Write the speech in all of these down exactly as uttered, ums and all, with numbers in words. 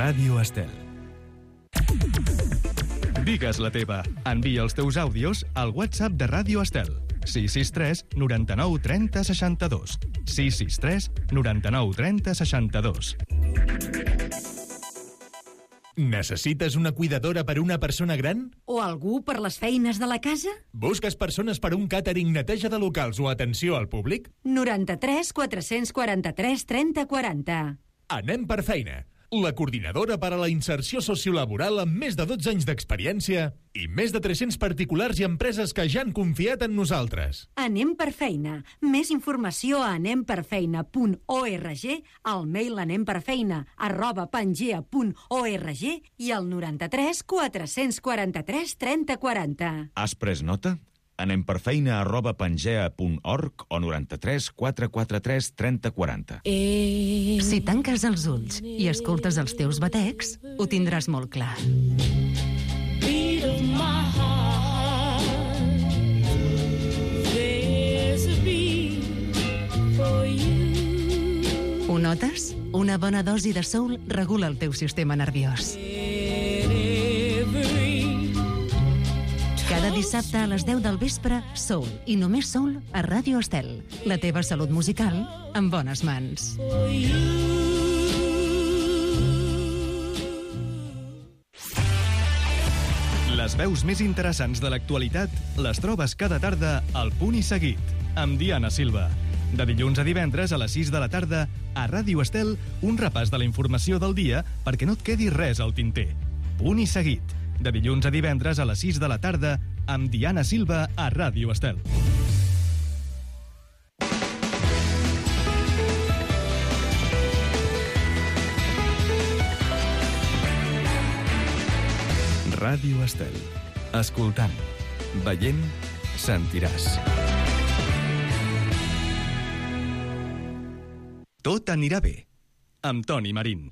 Ràdio Estel. Digues la teva. Envia els teus àudios al WhatsApp de Ràdio Estel. sis sis tres noranta-nou trenta seixanta-dos. sis sis tres noranta-nou trenta seixanta-dos. Necessites una cuidadora per una persona gran? O algú per les feines de la casa? Busques persones per un càtering, neteja de locals o atenció al públic? noranta-tres quatre-cents quaranta-tres trenta quaranta. Anem per feina. La coordinadora per a la inserció sociolaboral amb més de dotze anys d'experiència i més de tres-cents particulars i empreses que ja han confiat en nosaltres. Anem per feina. Més informació a anem per feina punt org, al mail anemperfeina arroba pangea punt org i al noranta-tres quatre-cents quaranta-tres trenta quaranta. Has pres nota? Anem per feina arroba pangea punt org o noranta-tres quatre quaranta-tres trenta quaranta. Si tanques els ulls i escoltes els teus batecs, ho tindràs molt clar. Ho notes? Una bona dosi de soul regula el teu sistema nerviós. Cada dissabte a les deu del vespre, Soul, i només Soul, a Ràdio Estel. La teva salut musical en bones mans. Les veus més interessants de l'actualitat les trobes cada tarda al Punt i Seguit, amb Diana Silva. De dilluns a divendres a les sis de la tarda, a Ràdio Estel, un repàs de la informació del dia perquè no et quedi res al tinter. Punt i Seguit. De dilluns a divendres a les sis de la tarda, amb Diana Silva a Ràdio Estel. Ràdio Estel. Escoltant, veient, sentiràs. Tot anirà bé, amb Toni Marín.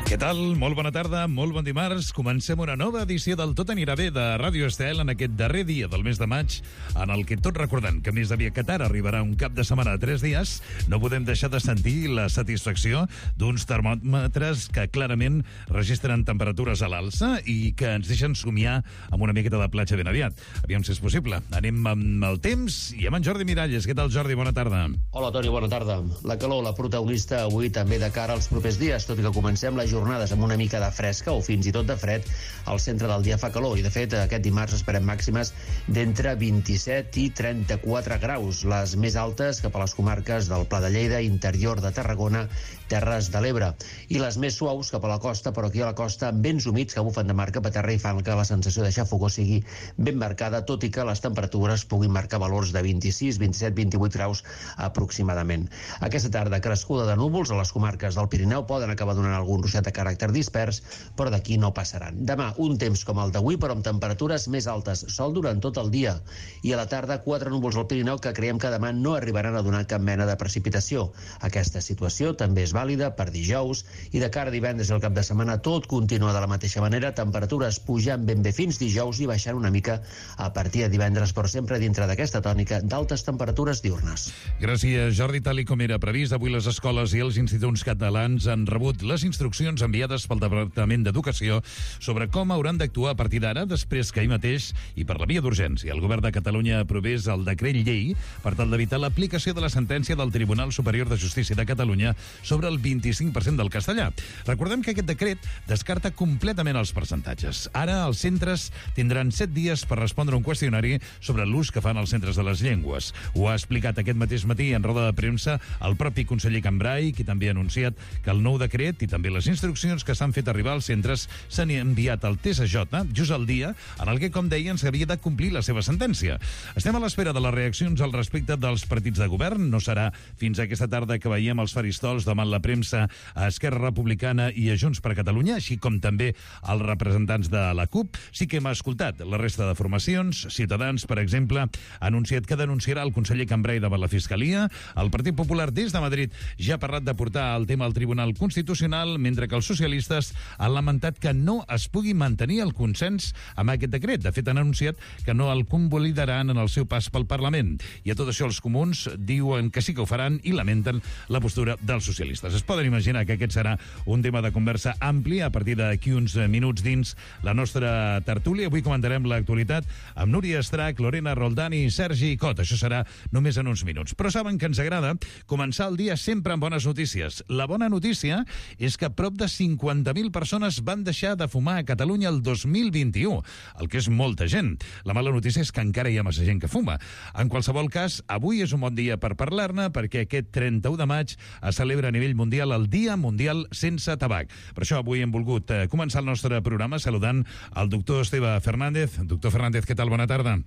Què tal? Molt bona tarda, molt bon dimarts. Comencem una nova edició del Tot anirà bé de Ràdio Estel en aquest darrer dia del mes de maig, en el que, tot recordant que més aviat que tard arribarà un cap de setmana de tres dies, no podem deixar de sentir la satisfacció d'uns termòmetres que clarament registren temperatures a l'alça i que ens deixen somiar amb una miqueta de platja ben aviat. Aviam si és possible. Anem amb el temps i amb en Jordi Miralles. Què tal, Jordi? Bona tarda. Hola, Toni, bona tarda. La calor, la protagonista avui també de cara als propers dies, tot i que comencem la jornada jornades amb una mica de fresca o fins i tot de fred, al centre del dia fa calor i de fet aquest dimarts esperem màximes d'entre vint-i-set i trenta-quatre graus, les més altes cap a les comarques del Pla de Lleida, interior de Tarragona, Terres de l'Ebre, i les més suaus cap a la costa, però aquí a la costa vents humits que bufen de mar cap a terra i fan que la sensació de xafogor sigui ben marcada, tot i que les temperatures puguin marcar valors de vint-i-sis, vint-i-set, vint-i-vuit graus aproximadament. Aquesta tarda crescuda de núvols a les comarques del Pirineu poden acabar donant algun ruixat de caràcter dispers, però d'aquí no passaran. Demà, un temps com el d'avui, però amb temperatures més altes, sol durant tot el dia, i a la tarda quatre núvols al Pirineu que creiem que demà no arribaran a donar cap mena de precipitació. Aquesta situació també és vàlida per dijous, i de cara a divendres i el cap de setmana tot continua de la mateixa manera, temperatures pujant ben bé fins dijous i baixant una mica a partir de divendres, però sempre dintre d'aquesta tònica d'altes temperatures diurnes. Gràcies, Jordi. Tal i com era previst, avui les escoles i els instituts catalans han rebut les instruccions enviades pel Departament d'Educació sobre com hauran d'actuar a partir d'ara, després que ahir mateix, i per la via d'urgència, el Govern de Catalunya aprovés el decret llei per tal d'evitar l'aplicació de la sentència del Tribunal Superior de Justícia de Catalunya sobre el vint-i-cinc per cent del castellà. Recordem que aquest decret descarta completament els percentatges. Ara els centres tindran set dies per respondre un qüestionari sobre l'ús que fan els centres de les llengües. Ho ha explicat aquest mateix matí en roda de premsa el propi conseller Cambray, qui també ha anunciat que el nou decret i també les instruccions que s'han fet arribar als centres s'han enviat al T S J just al dia en el que, com deien, s'havia de complir la seva sentència. Estem a l'espera de les reaccions al respecte dels partits de govern. No serà fins aquesta tarda que veiem els faristols davant la premsa a Esquerra Republicana i a Junts per Catalunya, així com també els representants de la CUP. Sí que hem escoltat la resta de formacions. Ciutadans, per exemple, ha anunciat que denunciarà el conseller Cambray davant la Fiscalia. El Partit Popular des de Madrid ja ha parlat de portar el tema al Tribunal Constitucional, mentre que els socialistes han lamentat que no es pugui mantenir el consens amb aquest decret. De fet, han anunciat que no el convalidaran en el seu pas pel Parlament. I a tot això els comuns diuen que sí que ho faran i lamenten la postura dels socialistes. Es poden imaginar que aquest serà un tema de conversa ampli a partir d'aquí uns minuts dins la nostra tertúlia. Avui comentarem l'actualitat amb Núria Estrach, Lorena Roldán i Sergi Cot. Això serà només en uns minuts. Però saben que ens agrada començar el dia sempre amb bones notícies. La bona notícia és que prop de cinquanta mil persones van deixar de fumar a Catalunya el dos mil vint-i-u, el que és molta gent. La mala notícia és que encara hi ha massa gent que fuma. En qualsevol cas, avui és un bon dia per parlar-ne, perquè aquest trenta-u de maig es celebra a nivell mundial el Dia Mundial Sense Tabac. Per això avui hem volgut eh, començar el nostre programa saludant el doctor Esteve Fernández. Doctor Fernández, què tal? Bona tarda.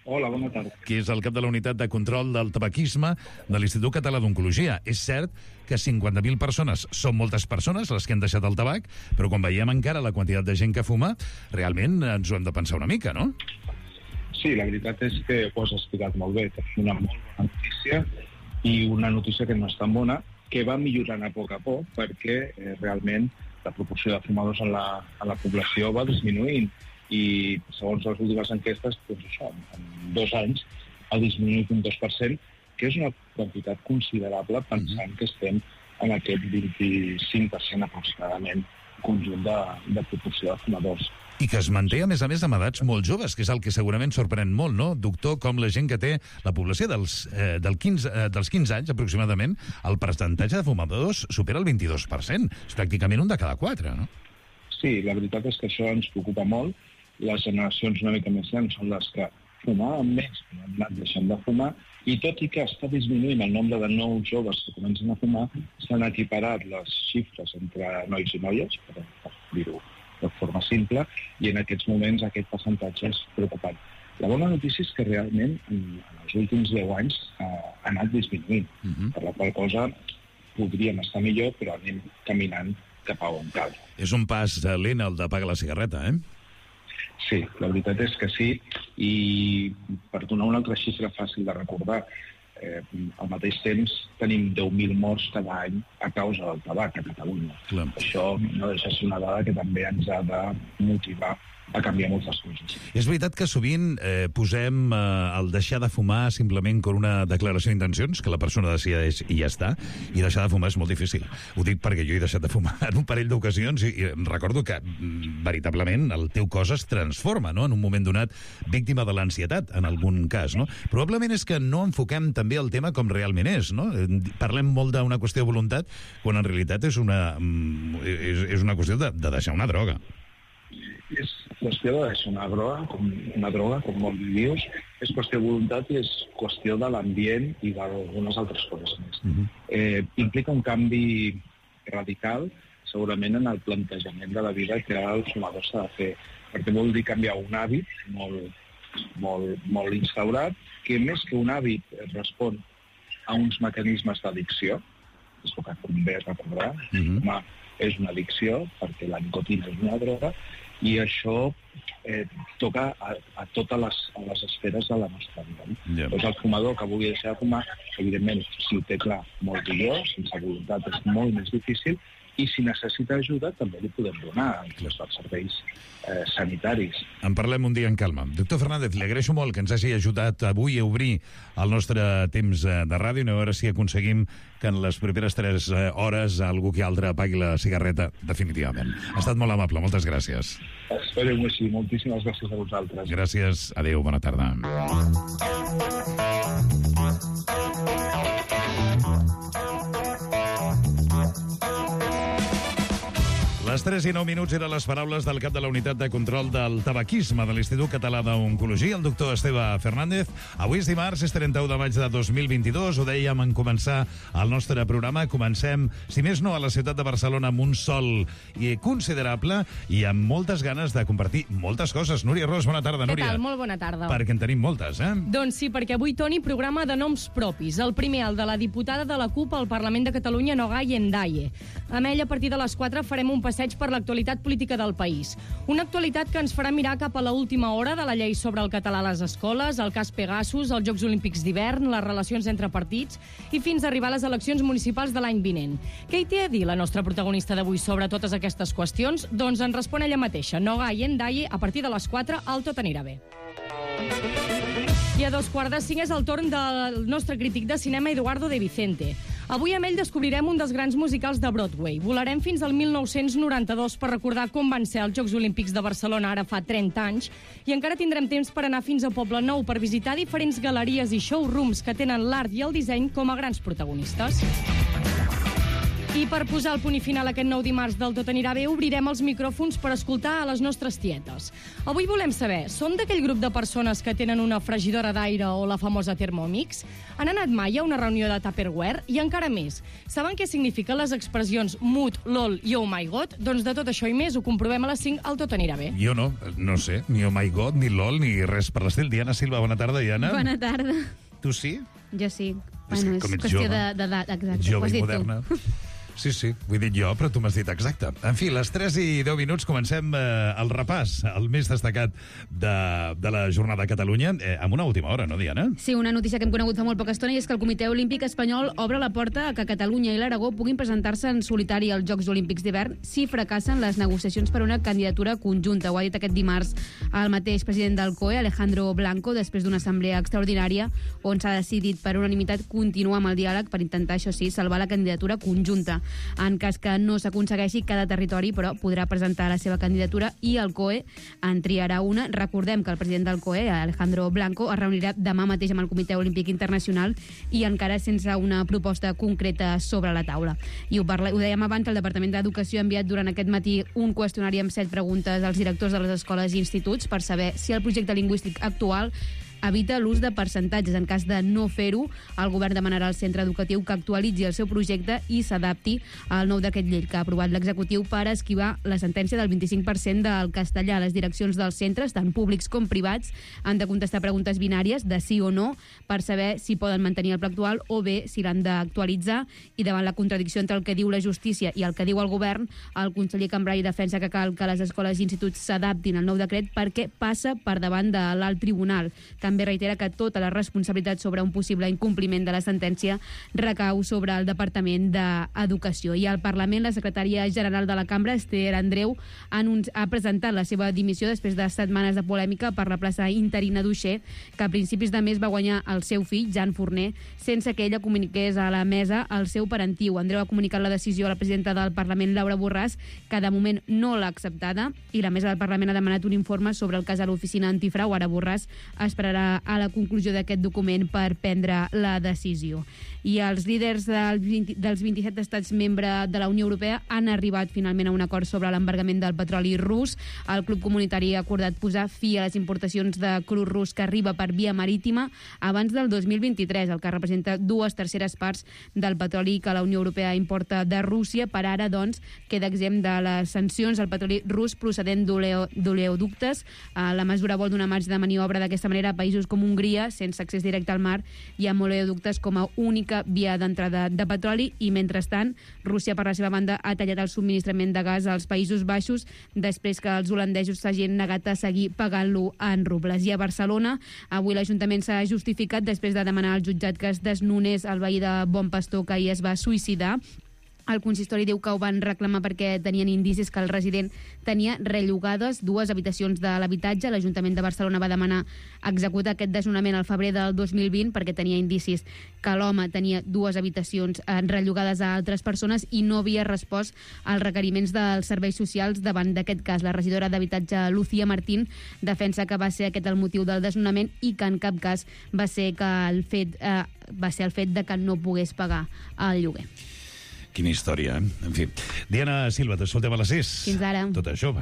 Hola, bona tarda. Que és el cap de la unitat de control del tabaquisme de l'Institut Català d'Oncologia. És cert que cinquanta mil persones són moltes persones les que han deixat el tabac, però quan veiem encara la quantitat de gent que fuma, realment ens ho hem de pensar una mica, no? Sí, la veritat és que ho has explicat molt bé. És una molt bona notícia i una notícia que no és tan bona, que va millorant a poc a poc perquè eh, realment la proporció de fumadors en la, en la població va disminuint i segons les últimes enquestes, doncs això, en dos anys ha disminuït un dos per cent, que és una quantitat considerable pensant que estem en aquest vint-i-cinc per cent aproximadament conjunt de, de proporció de fumadors. I que es manté, a més a més, amb edats molt joves, que és el que segurament sorprèn molt, no? Doctor, com la gent que té la població dels, eh, del quinze, eh, dels quinze anys, aproximadament, el percentatge de fumadors supera el vint-i-dos per cent. És pràcticament un de cada quatre, no? Sí, la veritat és que això ens preocupa molt. Les generacions una mica més grans són les que fumaven més, que han anat deixant de fumar, i tot i que està disminuint el nombre de nous joves que comencen a fumar, s'han equiparat les xifres entre nois i noies, per, per dir-ho de forma simple, i en aquests moments aquest percentatge és preocupant. La bona notícia és que realment en, en els últims deu anys eh, ha anat disminuint, uh-huh. per la qual cosa podríem estar millor, però anem caminant cap a on cal. És un pas lent el d'apagar la cigarreta, eh? Sí, la veritat és que sí, i per donar una altra xifra fàcil de recordar, eh, al mateix temps tenim deu mil morts cada any a causa del tabac a Catalunya. Clar. Això no deixa de ser una dada que també ens ha de motivar a canviar moltes coses. És veritat que sovint eh, posem eh, el deixar de fumar simplement com una declaració d'intencions, que la persona decideix i ja està, i deixar de fumar és molt difícil. Ho dic perquè jo he deixat de fumar en un parell d'ocasions i, i recordo que mm, veritablement el teu cos es transforma, no?, en un moment donat víctima de l'ansietat, en algun cas, no? Probablement és que no enfoquem també el tema com realment és, no? Parlem molt d'una qüestió de voluntat, quan en realitat és una, és, és una qüestió de, de deixar una droga. És qüestió de deixar una droga, com, una droga, com molt dius, és qüestió de voluntat i és qüestió de l'ambient i d'algunes altres coses més. Uh-huh. eh, implica un canvi radical, segurament, en el plantejament de la vida que el fumador s'ha de fer, perquè vol dir canviar un hàbit molt, molt, molt instaurat, que més que un hàbit respon a uns mecanismes d'addicció, és el que convé recordar, uh-huh. Home, és una addicció, perquè la nicotina és una droga, i això eh, toca a, a totes les, a les esferes de la nostra vida. No? Yeah. Doncs el fumador que vulgui deixar de fumar, evidentment, si ho té clar, molt millor, sense voluntat és molt més difícil, i si necessita ajuda també li podem donar els serveis eh, sanitaris. En parlem un dia en calma. Doctor Fernández, li agraeixo molt que ens hagi ajudat avui a obrir el nostre temps de ràdio i a veure si aconseguim que en les properes tres hores algú que altre apagui la cigarreta definitivament. Ha estat molt amable, moltes gràcies. Esperem-ho així, moltíssimes gràcies a vosaltres. Gràcies, adéu, bona tarda. Les tres i nou minuts eren les paraules del cap de la unitat de control del tabaquisme de l'Institut Català d'Oncologia, el doctor Esteve Fernández. Avui és dimarts, és trenta-u de maig de dos mil vint-i-dos. Ho dèiem en començar el nostre programa. Comencem, si més no, a la ciutat de Barcelona amb un sol considerable i amb moltes ganes de compartir moltes coses. Núria Ros, bona tarda, Núria. Què tal? Molt bona tarda. Perquè en tenim moltes, eh? Doncs sí, perquè avui, Toni, programa de noms propis. El primer, el de la diputada de la CUP al Parlament de Catalunya, Nogay Endaye. Amb ella, a partir de les quatre, farem un passeig minuts per l'actualitat política del país. Una actualitat que ens farà mirar cap a l'última hora de la llei sobre el català a les escoles, el cas Pegasus, els Jocs Olímpics d'hivern, les relacions entre partits i fins a arribar a les eleccions municipals de l'any vinent. Què hi té a dir la nostra protagonista d'avui sobre totes aquestes qüestions? Doncs ens respon ella mateixa, Noga Yendaye, a partir de les quatre al Tot anirà bé. I a dos quarts de cinc és el torn del nostre crític de cinema, Eduardo de Vicente. Avui amb ell descobrirem un dels grans musicals de Broadway. Volarem fins al mil nou-cents noranta-dos per recordar com van ser els Jocs Olímpics de Barcelona ara fa trenta anys i encara tindrem temps per anar fins a Poble Nou per visitar diferents galeries i showrooms que tenen l'art i el disseny com a grans protagonistes. I per posar el punt i final aquest nou dimarts del Tot anirà bé, obrirem els micròfons per escoltar a les nostres tietes. Avui volem saber, són d'aquell grup de persones que tenen una fregidora d'aire o la famosa Thermomix? Han anat mai a una reunió de Tupperware? I encara més, saben què signifiquen les expressions mood, lol i oh my god? Doncs de tot això i més ho comprovem a les cinc al Tot anirà bé. Jo no, no sé, ni oh my god, ni lol, ni res per l'estil. Diana Silva, bona tarda, Diana. Bona tarda. Tu sí? Jo sí. És Bueno, com és ets qüestió jove. de- d'edat, exacte. Jove Ho has i dit moderna. tu. Sí, sí, ho he dit jo, però tu m'has dit exacte. En fi, les tres i deu minuts comencem eh, el repàs, el més destacat de, de la jornada a Catalunya, eh, amb una última hora, no, Diana? Sí, una notícia que hem conegut fa molt poca estona i és que el Comitè Olímpic Espanyol obre la porta a que Catalunya i l'Aragó puguin presentar-se en solitari als Jocs Olímpics d'hivern si fracassen les negociacions per una candidatura conjunta. Ho ha dit aquest dimarts el mateix president del C O E, Alejandro Blanco, després d'una assemblea extraordinària on s'ha decidit per unanimitat continuar amb el diàleg per intentar, això sí, salvar la candidatura conjunta. En cas que no s'aconsegueixi, cada territori, però, podrà presentar la seva candidatura i el C O E en triarà una. Recordem que el president del C O E, Alejandro Blanco, es reunirà demà mateix amb el Comitè Olímpic Internacional i encara sense una proposta concreta sobre la taula. I ho, parla, ho dèiem abans, el Departament d'Educació ha enviat durant aquest matí un qüestionari amb set preguntes als directors de les escoles i instituts per saber si el projecte lingüístic actual evita l'ús de percentatges. En cas de no fer-ho, el govern demanarà al centre educatiu que actualitzi el seu projecte i s'adapti al nou decret llei que ha aprovat l'executiu per esquivar la sentència del vint-i-cinc per cent del castellà. Les direccions dels centres, tant públics com privats, han de contestar preguntes binàries de sí o no per saber si poden mantenir el pla actual o bé si l'han d'actualitzar, i davant la contradicció entre el que diu la justícia i el que diu el govern, el conseller Cambray defensa que cal que les escoles i instituts s'adaptin al nou decret perquè passa per davant de l'alt tribunal. També reitera que tota la responsabilitat sobre un possible incompliment de la sentència recau sobre el Departament d'Educació. I al Parlament, la secretària general de la Cambra, Esther Andreu, ha, ha presentat la seva dimissió després de setmanes de polèmica per la plaça interina d'Uixer, que a principis de mes va guanyar el seu fill, Jan Forner, sense que ella comuniqués a la mesa el seu parentiu. Andreu ha comunicat la decisió a la presidenta del Parlament, Laura Borràs, que de moment no l'ha acceptada, i la mesa del Parlament ha demanat un informe sobre el cas a l'oficina antifrau. Ara Borràs esperarà a la conclusió d'aquest document per prendre la decisió. I els líders del vint, dels vint-i-set estats membres de la Unió Europea han arribat finalment a un acord sobre l'embargament del petroli rus. El Club Comunitari ha acordat posar fi a les importacions de cru rus que arriba per via marítima abans del dos mil vint-i-tres, el que representa dues terceres parts del petroli que la Unió Europea importa de Rússia. Per ara, doncs, queda exempt de les sancions el petroli rus procedent d'oleoductes. La mesura vol donar marge de maniobra d'aquesta manera a països com Hongria, sense accés directe al mar, i amb oleoductes com a única via d'entrada de petroli. I mentrestant, Rússia, per la seva banda, ha tallat el subministrament de gas als Països Baixos després que els holandesos s'hagin negat a seguir pagant-lo en rubles. I a Barcelona, avui l'Ajuntament s'ha justificat després de demanar al jutjat que es desnonés el veí de Bon Pastor que ahir es va suïcidar. El consistori diu que ho van reclamar perquè tenien indicis que el resident tenia rellogades dues habitacions de l'habitatge. L'Ajuntament de Barcelona va demanar executar aquest desnonament al febrer del dos mil vint perquè tenia indicis que l'home tenia dues habitacions rellogades a altres persones i no havia respost als requeriments dels serveis socials davant d'aquest cas. La regidora d'Habitatge, Lucía Martín, defensa que va ser aquest el motiu del desnonament i que en cap cas va ser, que el fet, eh, va ser el fet de que no pogués pagar el lloguer. Quina història, eh? En fi. Diana Silva, t'escoltem a les sis. Fins ara. Tota jove.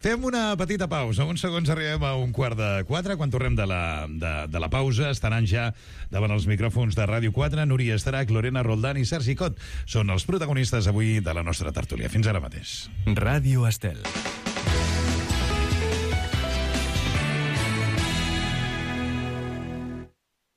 Fem una petita pausa. Uns segons arribem a un quart de quatre. Quan tornem de la, de, de la pausa, estaran ja davant els micròfons de Ràdio quatre Núria Estarach, Lorena Roldán i Sergi Cot. Són els protagonistes avui de la nostra tertúlia. Fins ara mateix. Ràdio Estel.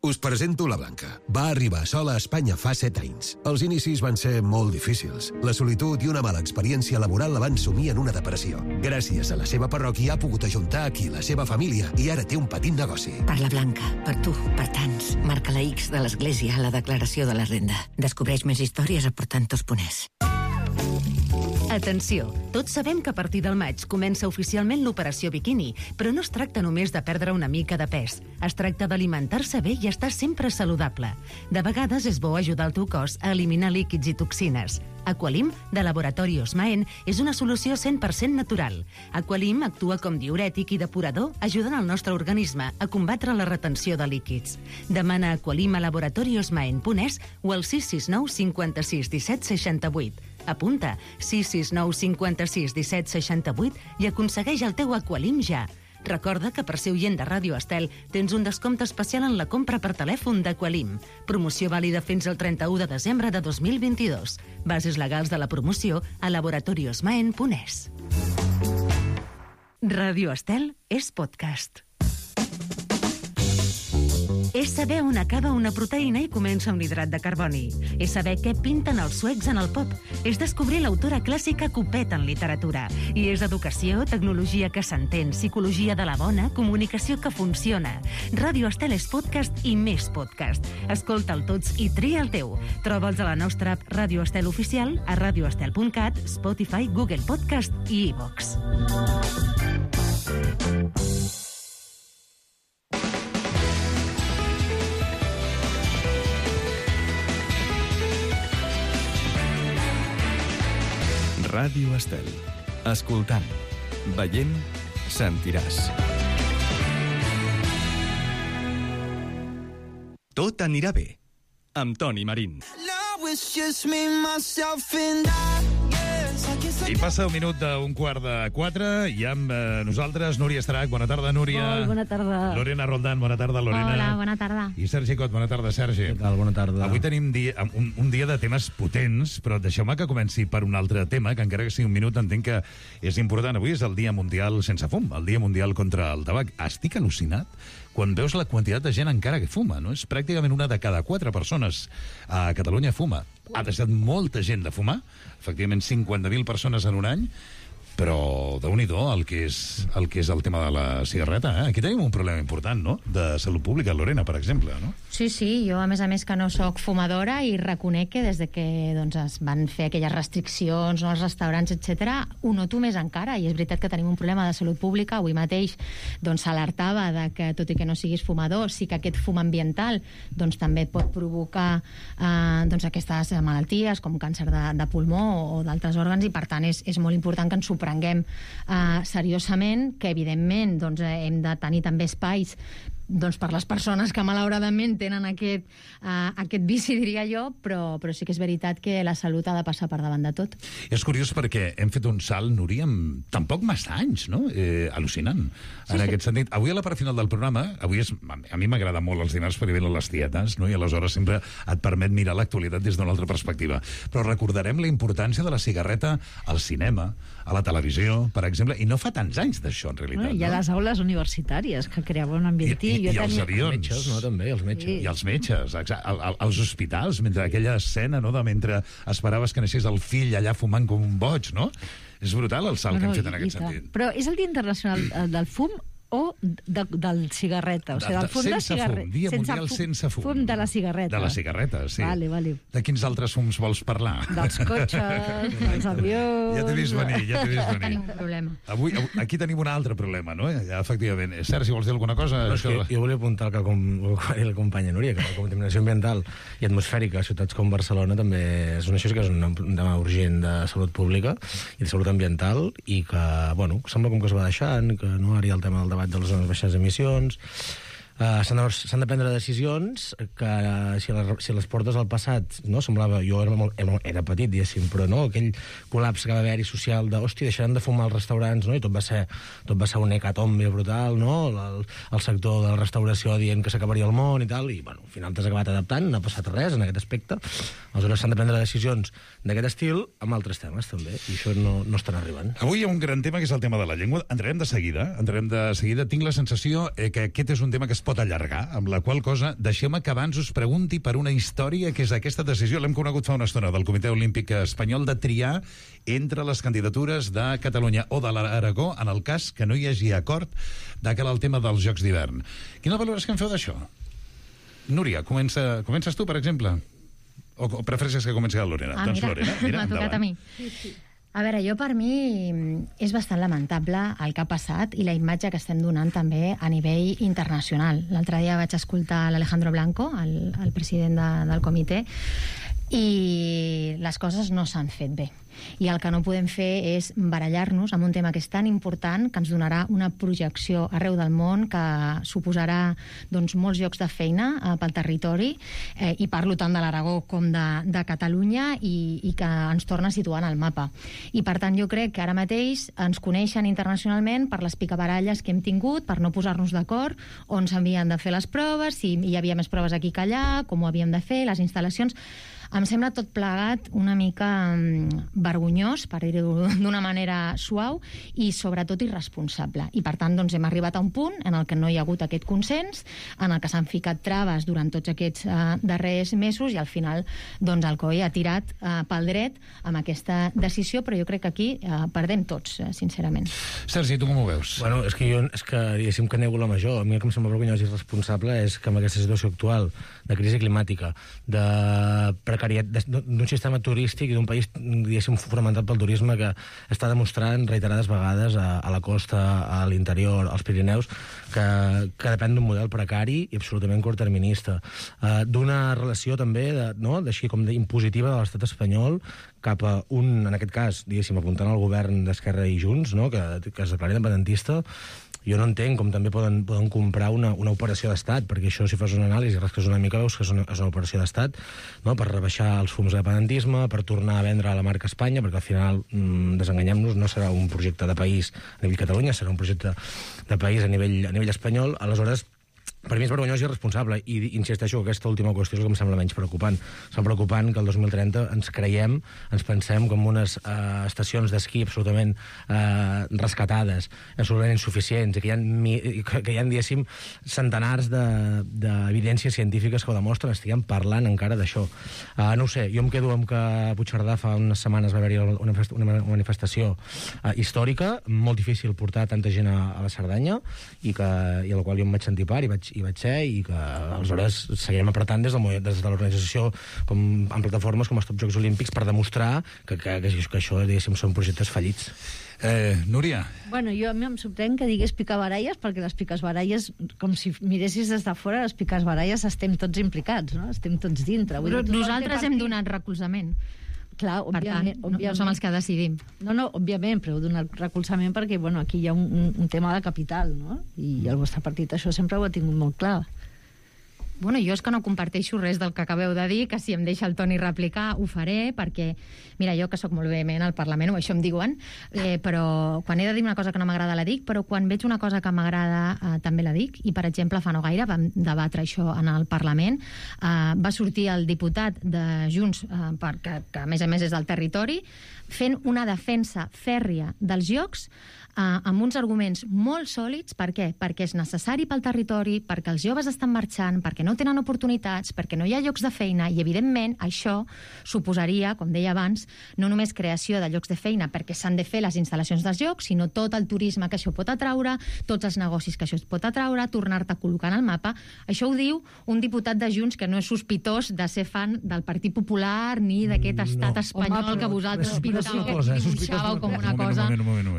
Us presento la Blanca. Va arribar sola a Espanya fa set anys. Els inicis van ser molt difícils. La solitud i una mala experiència laboral la van sumir en una depressió. Gràcies a la seva parròquia ha pogut ajuntar aquí la seva família i ara té un petit negoci. Per la Blanca, per tu, per tants. Marca la X de l'Església a la declaració de la renda. Descobreix més històries aportant tos puners. Atenció, tots sabem que a partir del maig comença oficialment l'operació biquini, però no es tracta només de perdre una mica de pes. Es tracta d'alimentar-se bé i estar sempre saludable. De vegades és bo ajudar el teu cos a eliminar líquids i toxines. Aqualim, de Laboratori Osmaen, és una solució cent per cent natural. Aqualim actua com diürètic i depurador, ajudant el nostre organisme a combatre la retenció de líquids. Demana Aqualim a laboratori osmaen punt es o al sis sis nou cinquanta-sis disset seixanta-vuit. Apunta sis sis nou cinquanta-sis disset seixanta-vuit i aconsegueix el teu Aqualim ja. Recorda que per ser oient de Ràdio Estel tens un descompte especial en la compra per telèfon d'Aqualim. Promoció vàlida fins al trenta-u de desembre de dos mil vint-i-dos. Bases legals de la promoció a laboratori osmaen punt es. Ràdio Estel és podcast. És saber on acaba una proteïna i comença un hidrat de carboni. És saber què pinten els suecs en el pop. És descobrir l'autora clàssica Copet en literatura. I és educació, tecnologia que s'entén, psicologia de la bona, comunicació que funciona. Ràdio Estel és podcast i més podcast. Escolta'l tots i tria el teu. Troba'ls a la nostra app Ràdio Estel Oficial, a radioestel punt cat, Spotify, Google Podcast i iVox. Ràdio Estel. Escoltant, veient, sentiràs. Tot anirà bé, amb Toni Marín. I passa un minut d'un quart de quatre i amb eh, nosaltres Núria Estrach. Bona tarda, Núria. Molt bona tarda. Lorena Roldán, bona tarda, Lorena. Hola, bona tarda. I Sergi Cot, bona tarda, Sergi. Què tal? Bona tarda. Avui tenim dia, un, un dia de temes potents, però deixeu-me que comenci per un altre tema, que encara que sigui un minut entenc que és important. Avui és el Dia Mundial sense fum, el Dia Mundial contra el tabac. Estic al·lucinat quan veus la quantitat de gent encara que fuma, no? És pràcticament una de cada quatre persones a Catalunya fuma. Ha deixat molta gent de fumar, efectivament cinquanta mil persones en un any, però déu-n'hi-do el que és el que és el tema de la cigarreta, eh? Aquí tenim un problema important, no?, de salut pública, Lorena, per exemple, no? Sí, sí, jo a més a més que no sóc fumadora i reconec que des de que doncs, es van fer aquelles restriccions no, als restaurants, etcètera, ho noto més encara, i és veritat que tenim un problema de salut pública. Avui mateix doncs, s'alertava de que, tot i que no siguis fumador, sí que aquest fum ambiental doncs, també pot provocar eh, doncs, aquestes malalties com càncer de, de pulmó o, o d'altres òrgans, i per tant és, és molt important que ens ho prenguem eh, seriosament, que evidentment doncs, hem de tenir també espais doncs per les persones que malauradament tenen aquest, uh, aquest vici, diria jo, però, però sí que és veritat que la salut ha de passar per davant de tot. És curiós perquè hem fet un salt, Núria, amb tampoc massa anys, no? Eh, al·lucinant. En sí, aquest sí. sentit, avui a la part final del programa, avui és, a mi m'agrada molt els dimarts perquè venen les tietes, no? I aleshores sempre et permet mirar l'actualitat des d'una altra perspectiva. Però recordarem la importància de la cigarreta al cinema, a la televisió, per exemple, i no fa tants anys d'això, en realitat. Bueno, hi ha no? les aules universitàries que creaven un ambient. I, i, i tenia... els avions. Els metges, no, també, els metges. Sí. I els metges, exacte. Al, al, als hospitals, mentre aquella escena, no?, de mentre esperaves que naixés el fill allà fumant com un boig, no? És brutal el salt no, no, que hem fet en aquest sentit. Però és el Dia Internacional del Fum o de, del cigarreta? O sigui, del fum de, de cigarreta. Fum, Dia sense Mundial fum, sense fum. Fum de la cigarreta. De la cigarreta, sí. Vale, vale. De quins altres fums vols parlar? Dels cotxes, dels avions... Ja t'he vist venir, ja t'he vist venir. Tenim un problema. Avui, aquí tenim un altre problema, no? Ja, efectivament. Sergi, vols dir alguna cosa? No, això... Jo volia apuntar el que com, la companya Núria, que la contaminació ambiental i atmosfèrica a ciutats com Barcelona també és una, això sí que és un tema urgent de salut pública i de salut ambiental, i que, bueno, sembla com que es va deixant, que no ara hi ha el tema del debat de les zones baixes emissions. Uh, s'han, de, s'han de prendre decisions que uh, si, les, si les portes al passat, no, semblava, jo era, molt, era, era petit, diguéssim, però no, aquell col·lapse que va haver-hi social de, hòstia, deixaran de fumar als restaurants, no, i tot va ser, tot va ser un hecatombe brutal, no, el, el sector de la restauració dient que s'acabaria el món i tal, i bueno, al final t'has acabat adaptant, no ha passat res en aquest aspecte. Aleshores s'han de prendre decisions d'aquest estil amb altres temes també, i això no, no estan arribant. Avui hi ha un gran tema que és el tema de la llengua. Entrarem de seguida, entrarem de seguida. Tinc la sensació eh, que aquest és un tema que es pot pot allargar, amb la qual cosa deixeu-me que abans us pregunti per una història que és aquesta decisió, l'hem conegut fa una estona, del Comitè Olímpic Espanyol de triar entre les candidatures de Catalunya o de l'Aragó en el cas que no hi hagi acord de cara al tema dels Jocs d'hivern. Quina valoració en feu d'això? Núria, comença, comences tu, per exemple? O, o prefereixes que comenci la Lorena? Ah, doncs mira, Lorena, mira, m'ha tocat a mi. Sí, sí. A veure, jo per mi és bastant lamentable el que ha passat i la imatge que estem donant també a nivell internacional. L'altre dia vaig escoltar l'Alejandro Blanco, el, el president de, del comitè, i les coses no s'han fet bé. I el que no podem fer és barallar-nos amb un tema que és tan important, que ens donarà una projecció arreu del món, que suposarà doncs, molts llocs de feina eh, pel territori, eh, i parlo tant de l'Aragó com de, de Catalunya, i, i que ens torna a situar en el mapa. I per tant jo crec que ara mateix ens coneixen internacionalment per les picabaralles que hem tingut, per no posar-nos d'acord on s'havien de fer les proves, si hi havia més proves aquí que allà, com ho havíem de fer, les instal·lacions. Em sembla tot plegat una mica vergonyós, per dir-ho d'una manera suau, i sobretot irresponsable. I per tant doncs, hem arribat a un punt en el que no hi ha hagut aquest consens, en el que s'han ficat traves durant tots aquests eh, darrers mesos, i al final doncs, el C O E ha tirat eh, pel dret amb aquesta decisió, però jo crec que aquí eh, perdem tots, eh, sincerament. Sergi, tu com ho veus? Bueno, és que jo, és que diguéssim que nego la major. A mi el que em sembla vergonyós i irresponsable és que amb aquesta situació actual de crisi climàtica, de precarietat, d'un sistema turístic i d'un país, diguéssim, fonamentat pel turisme, que està demostrant reiterades vegades a, a la costa, a l'interior, als Pirineus, que, que depèn d'un model precari i absolutament curtterminista. Uh, d'una relació també, de, no?, així com impositiva de l'estat espanyol cap a un, en aquest cas, diguéssim, apuntant al govern d'Esquerra i Junts, no?, que, que es declara independentista. Jo no entenc com també poden, poden comprar una, una operació d'estat, perquè això, si fas una anàlisi, rasques una mica, veus que és una, és una operació d'estat, no?, per rebaixar els fums de dependentisme, per tornar a vendre la marca Espanya, perquè al final, mmm, desenganyem-nos, no serà un projecte de país a nivell Catalunya, serà un projecte de país a nivell, a nivell espanyol. Aleshores, per mi és vergonyós i irresponsable, i insisteixo que aquesta última qüestió és el que em sembla menys preocupant. Em preocupant que el dos mil trenta ens creiem, ens pensem com unes eh, estacions d'esquí absolutament eh, rescatades, absolutament insuficients, i que hi ha, que, que hi ha diguéssim, centenars d'evidències de, científiques que ho demostren, estiguem parlant encara d'això. Uh, no ho sé, jo em quedo amb que a Puigcerdà fa unes setmanes va haver-hi una, una manifestació uh, històrica, molt difícil portar tanta gent a, a la Cerdanya, i, que, i a la qual jo em vaig sentir part, i vaig i vaig ser, i que aleshores seguirem apretant des de, des de l'organització com, en plataformes com els Top Jocs Olímpics per demostrar que, que, que, que això, diguéssim, són projectes fallits. Eh, Núria? Bueno, jo a mi em sorprèn que digués picabaralles, perquè les picabaralles, com si miressis des de fora, les picabaralles estem tots implicats, no? Estem tots dintre. Vull dir, nosaltres hem donat recolzament. Clar, òbviament, per tant, no, no som els que decidim. No, no, òbviament, però heu donat recolzament perquè, bueno, aquí hi ha un, un, un tema de capital, no? I el vostre partit això sempre ho ha tingut molt clar. Bueno, jo és que no comparteixo res del que acabeu de dir, que si em deixa el Toni replicar ho faré, perquè, mira, jo que sóc molt vehement al Parlament, o això em diuen, eh, però quan he de dir una cosa que no m'agrada la dic, però quan veig una cosa que m'agrada eh, també la dic, i per exemple fa no gaire vam debatre això en el Parlament, eh, va sortir el diputat de Junts, eh, per, que, que a més a més és del territori, fent una defensa fèrria dels Jocs, Uh, amb uns arguments molt sòlids. Per què? Perquè és necessari pel territori, perquè els joves estan marxant, perquè no tenen oportunitats, perquè no hi ha llocs de feina, i evidentment això suposaria, com deia abans, no només creació de llocs de feina perquè s'han de fer les instal·lacions dels jocs, sinó tot el turisme que això pot atraure, tots els negocis que això es pot atraure, tornar-te a col·locar en el mapa. Això ho diu un diputat de Junts que no és sospitós de ser fan del Partit Popular ni d'aquest estat no. espanyol Home, però, que vosaltres pintàveu i dibuixàveu com una cosa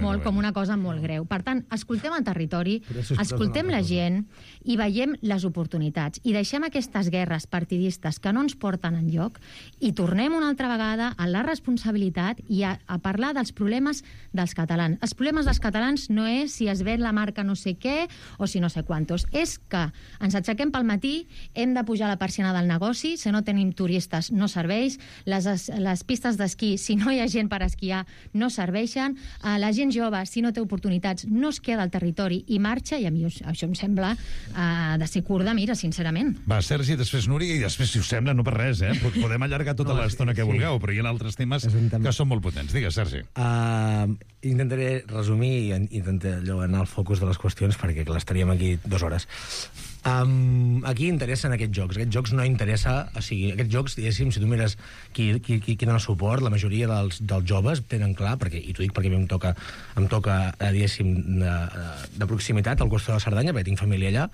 molt com una cosa molt greu. Per tant, escoltem el territori, escoltem la gent i veiem les oportunitats. I deixem aquestes guerres partidistes que no ens porten enlloc i tornem una altra vegada a la responsabilitat i a, a parlar dels problemes dels catalans. Els problemes dels catalans no és si es ven la marca no sé què o si no sé quantos. És que ens aixequem pel matí, hem de pujar la persiana del negoci, si no tenim turistes no serveix, les, les pistes d'esquí, si no hi ha gent per esquiar, no serveixen, la gent jove, si no té oportunitats, no es queda al territori i marxa, i a mi això em sembla uh, de ser curt de mira, sincerament. malament. Va, Sergi, després Núria, i després, si us sembla, no per res, eh? Podem allargar tota No, l'estona sí, que sí. vulgueu, però hi ha altres temes que són molt potents. Digues, Sergi. Uh, intentaré resumir i intentaré allò anar al focus de les qüestions perquè clar, estaríem aquí dues hores. Um, aquí interessen aquests jocs. Aquests jocs no interessa... O sigui, aquests jocs, diguéssim, si tu mires qui, qui, qui, qui dona suport, la majoria dels, dels joves tenen clar, perquè, i t'ho dic perquè a mi em toca, em toca diguéssim, de, de proximitat al costat de la Cerdanya, perquè tinc família allà,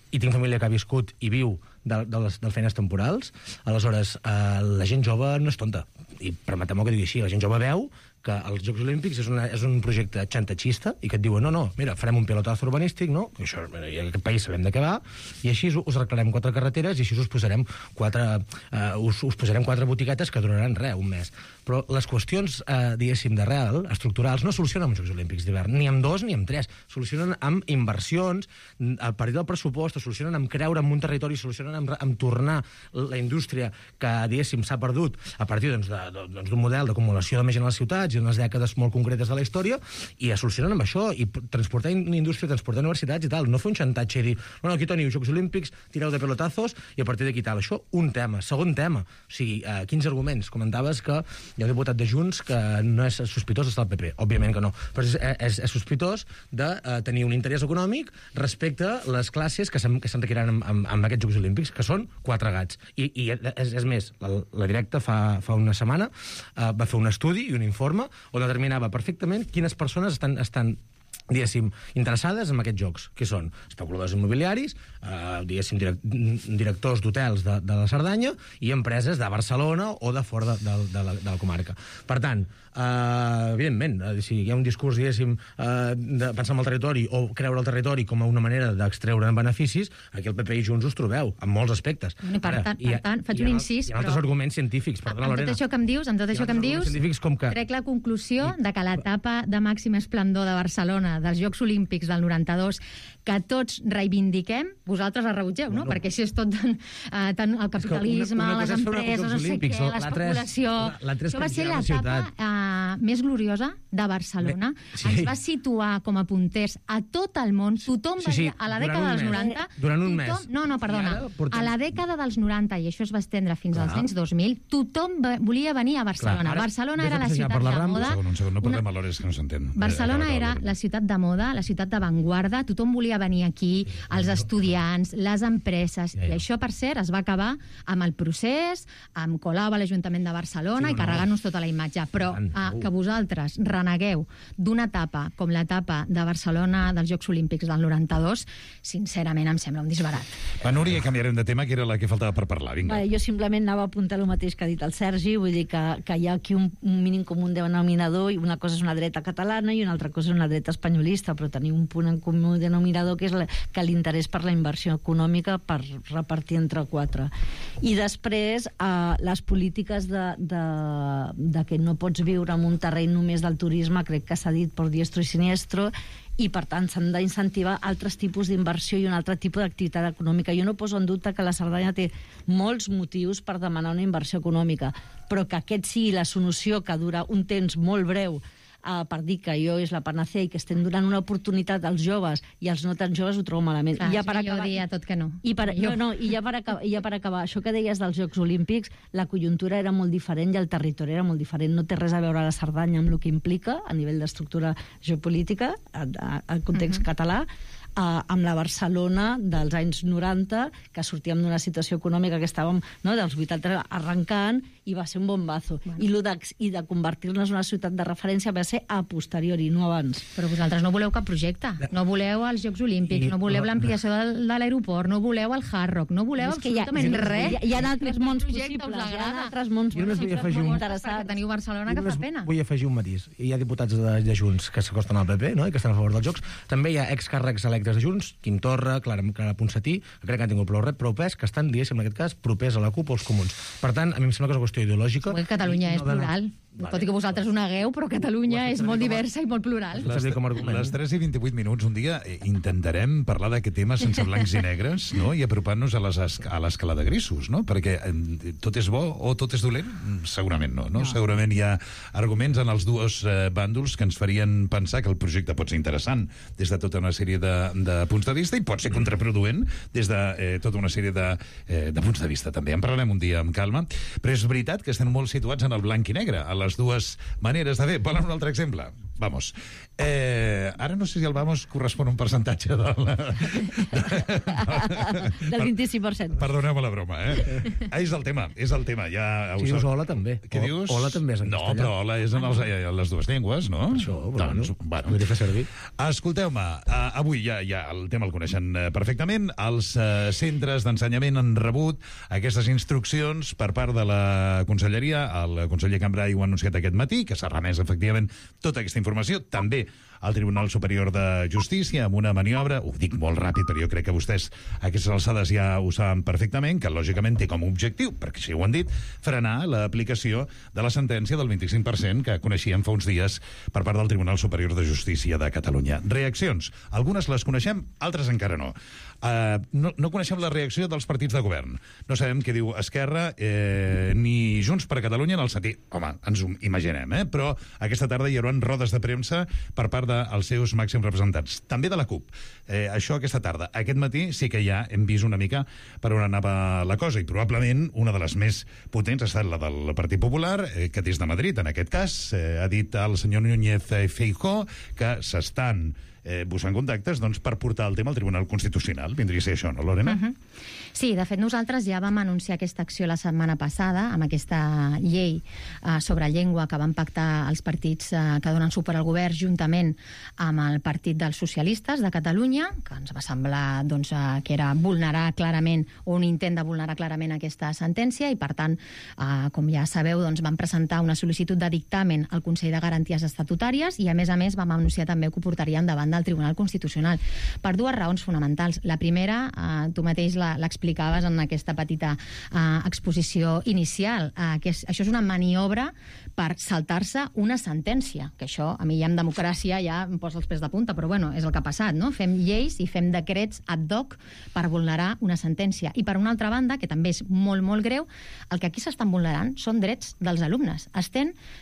i tinc família que ha viscut i viu de, de les de feines temporals. Aleshores, eh, la gent jove no és tonta. I permeteu-me que digui així, la gent jove veu que els Jocs Olímpics és, una, és un projecte xantatxista i que et diuen, no, no, mira, farem un pilotazo urbanístic, no? Que això, i en aquest país sabem de què va, i així us arreglarem quatre carreteres i així us posarem quatre, uh, us, us posarem quatre botiquetes que duraran res, un mes. Però les qüestions, uh, diguéssim, d'arrel, estructurals, no solucionen amb els Jocs Olímpics d'hivern, ni amb dos ni amb tres. Solucionen amb inversions, a partir del pressupost, solucionen amb creure en un territori, solucionen amb, amb tornar la indústria que, diguéssim, s'ha perdut a partir doncs, de, de, doncs, d'un model d'acumulació de més gent a les ciutats i unes dècades molt concretes de la història, i es solucionen amb això, i transportar indústria, transportar universitats i tal, no fer un xantatge i dir, no, no, aquí teniu Jocs Olímpics, tireu de pelotazos, i a partir d'aquí tal. Això, un tema. Segon tema, o sigui, eh, quins arguments? Comentaves que hi ha un diputat de Junts que no és sospitós d'estar al P P. Òbviament que no, però és, és, és sospitós de eh, tenir un interès econòmic respecte a les classes que s'enriquiran amb, amb, amb aquests Jocs Olímpics, que són quatre gats. I, i és, és més, la, la directa fa, fa una setmana eh, va fer un estudi i un informe on determinava perfectament quines persones estan, estan diguéssim, interessades en aquests jocs, que són especuladors immobiliaris, eh, diguéssim, direct, directors d'hotels de, de la Cerdanya i empreses de Barcelona o de fora de, de, de, la, de la comarca. Per tant, eh, evidentment, eh, si hi ha un discurs, diguéssim, eh, de pensar en el territori o creure el territori com a una manera d'extreure beneficis, aquí el P P i Junts us trobeu, en molts aspectes. I per, tant, per tant, faig un incís, hi ha altres però... arguments científics, perdona, amb Lorena. tot això que em dius, amb tot això que em dius, com que... trec la conclusió de que l'etapa de màxim esplendor de Barcelona, dels Jocs Olímpics del noranta-dos, que tots reivindiquem, vosaltres la rebutgeu, no? Bueno. Perquè si és tot tan, uh, tan el capitalisme, una, una les empreses, no sé què, l'especulació... Això va ser l'etapa uh, més gloriosa de Barcelona. Sí. Ens va situar com a punters a tot el món. Tothom Sí, sí, venia a la durant dècada un dels mes. noranta... Durant un tothom, mes. No, no, perdona. portem- A la dècada dels noranta, i això es va estendre fins als Clar. anys dos mil, tothom va- volia venir a Barcelona. Clar, ara, Barcelona vés a era la passejar ciutat per la de Rambla. moda. Un segon, un segon, no parlem a l'hores que no s'entén. Barcelona Eh, era la ciutat de moda, la ciutat d'avantguarda, tothom volia venir aquí, els estudiants, les empreses, i això, per cert, es va acabar amb el procés, amb Colau a l'Ajuntament de Barcelona Sí, i no, no. carregant-nos tota la imatge. Però Tant, ah, segur. que vosaltres renegueu d'una etapa com l'etapa de Barcelona dels Jocs Olímpics del noranta-dos, sincerament em sembla un disbarat. Va, Núria, canviarem de tema, que era la que faltava per parlar. Vinga. Vale, jo simplement anava a apuntar el mateix que ha dit el Sergi, vull dir que, que hi ha aquí un, un mínim comú denominador, i una cosa és una dreta catalana i una altra cosa és una dreta espanyolista, però tenir un punt en comú denominador que és la, que l'interès per la inversió econòmica per repartir entre quatre. I després, eh, les polítiques de, de, de que no pots viure en un terreny només del turisme, crec que s'ha dit per diestro i siniestro, i per tant s'han d'incentivar altres tipus d'inversió i un altre tipus d'activitat econòmica. Jo no poso en dubte que la Cerdanya té molts motius per demanar una inversió econòmica, però que aquest sigui la solució que dura un temps molt breu Uh, per dir que jo és la panacea i que estem donant una oportunitat als joves i als no tan joves, ho trobo malament. Clar, I ja sí, per jo acabar, diria tot que no. I per, Jo. no, no, i ja per, acabar, i ja per acabar, això que deies dels Jocs Olímpics, la conjuntura era molt diferent i el territori era molt diferent. No té res a veure la Cerdanya amb el que implica a nivell d'estructura geopolítica, al context uh-huh. català, Uh, amb la Barcelona dels anys noranta, que sortíem d'una situació econòmica que estàvem, no, dels vuitanta arrencant, i va ser un bombazo. Bueno. I, lo de, i de convertir-nos en una ciutat de referència va ser a posteriori, no abans. Però vosaltres no voleu cap projecte. No voleu els Jocs Olímpics, I- no voleu no, l'ampliació de, de l'aeroport, no voleu el Hard Rock, no voleu És que hi ha- absolutament hi ha- res. hi ha- hi ha altres mons Projecte us possibles, hi ha agrada. altres mons Jo només vull afegir un- Perquè teniu Barcelona que Jo fa només pena. Vull afegir un matís. Hi ha diputats de, de Junts que s'acosten al P P, no?, i que estan a favor dels Jocs. També hi ha excàrrecs electes de Junts, Quim Torra, Clara, Clara Ponsatí, que crec que han tingut prou, prou pes, que estan, diguéssim, en aquest cas, propers a la CUP o als comuns. Per tant, a mi em sembla que és una qüestió ideològica. Segur que Catalunya i és dona- plural. Vale. Tot i que vosaltres ho negueu, però Catalunya és molt diversa i molt plural. Les, les tres i vint-i-vuit minuts un dia intentarem parlar d'aquest tema sense blancs i negres, no? I apropar-nos a, les, a l'escala de grisos, no? Perquè eh, tot és bo o tot és dolent? Segurament no, no? no. Segurament hi ha arguments en els dos eh, bàndols que ens farien pensar que el projecte pot ser interessant des de tota una sèrie de, de punts de vista i pot ser contraproduent des de eh, tota una sèrie de, eh, de punts de vista també. En parlarem un dia amb calma, però és veritat que estem molt situats en el blanc i negre, a les dues maneres de fer. Volen un altre exemple? Vamos. Eh, ara no sé si el vamos correspon a un percentatge de la... del vint-i-cinc per cent. Perdoneu-me la broma, eh? Ah, és el tema, és el tema. Ja si dius hola, també. Què dius? Hola també és en no, castellà. No, però hola és en, els, en les dues llengües, no? Per això, però doncs, bueno, bueno. Fer servir. Escolteu-me, uh, avui ja, ja el tema el coneixen uh, perfectament. Els uh, centres d'ensenyament han rebut aquestes instruccions per part de la Conselleria. El conseller Cambray ho ha anunciat aquest matí, que s'ha remès efectivament tota aquesta informació, també al Tribunal Superior de Justícia, amb una maniobra, ho dic molt ràpid, però jo crec que vostès a aquestes alçades ja ho saben perfectament, que lògicament té com a objectiu, perquè si ho han dit, frenar l'aplicació de la sentència del vint-i-cinc per cent que coneixíem fa uns dies per part del Tribunal Superior de Justícia de Catalunya. Reaccions. Algunes les coneixem, altres encara no. Uh, no, no coneixem la reacció dels partits de govern. No sabem què diu Esquerra eh, ni Junts per Catalunya en el sentit... Home, ens ho imaginem, eh? Però aquesta tarda hi haurà rodes de premsa per part dels seus màxims representants. També de la CUP. Eh, això aquesta tarda. Aquest matí sí que ja hem vist una mica per on anava la cosa i probablement una de les més potents ha estat la del Partit Popular, eh, que des de Madrid, en aquest cas, eh, ha dit al senyor Núñez Feijóo que s'estan eh, buscant contactes doncs, per portar el tema al Tribunal Constitucional. Vindria a ser això, no, Lorena? Uh -huh. Sí, de fet, nosaltres ja vam anunciar aquesta acció la setmana passada amb aquesta llei eh, sobre llengua que van pactar els partits eh, que donen suport al govern juntament amb el Partit dels Socialistes de Catalunya, que ens va semblar doncs, eh, que era vulnerar clarament o un intent de vulnerar clarament aquesta sentència i, per tant, eh, com ja sabeu, doncs, vam presentar una sol·licitud de dictamen al Consell de Garanties Estatutàries i, a més a més, vam anunciar també que ho portaríem davant del Tribunal Constitucional per dues raons fonamentals. La primera, eh, tu mateix l'explicaves en aquesta petita eh, exposició inicial, eh, que és, això és una maniobra per saltar-se una sentència, que això a mi ja en democràcia ja em posa els pèls de punta, però bueno, és el que ha passat, no? Fem lleis i fem decrets ad hoc per vulnerar una sentència. I per una altra banda, que també és molt, molt greu, el que aquí s'estan vulnerant són drets dels alumnes.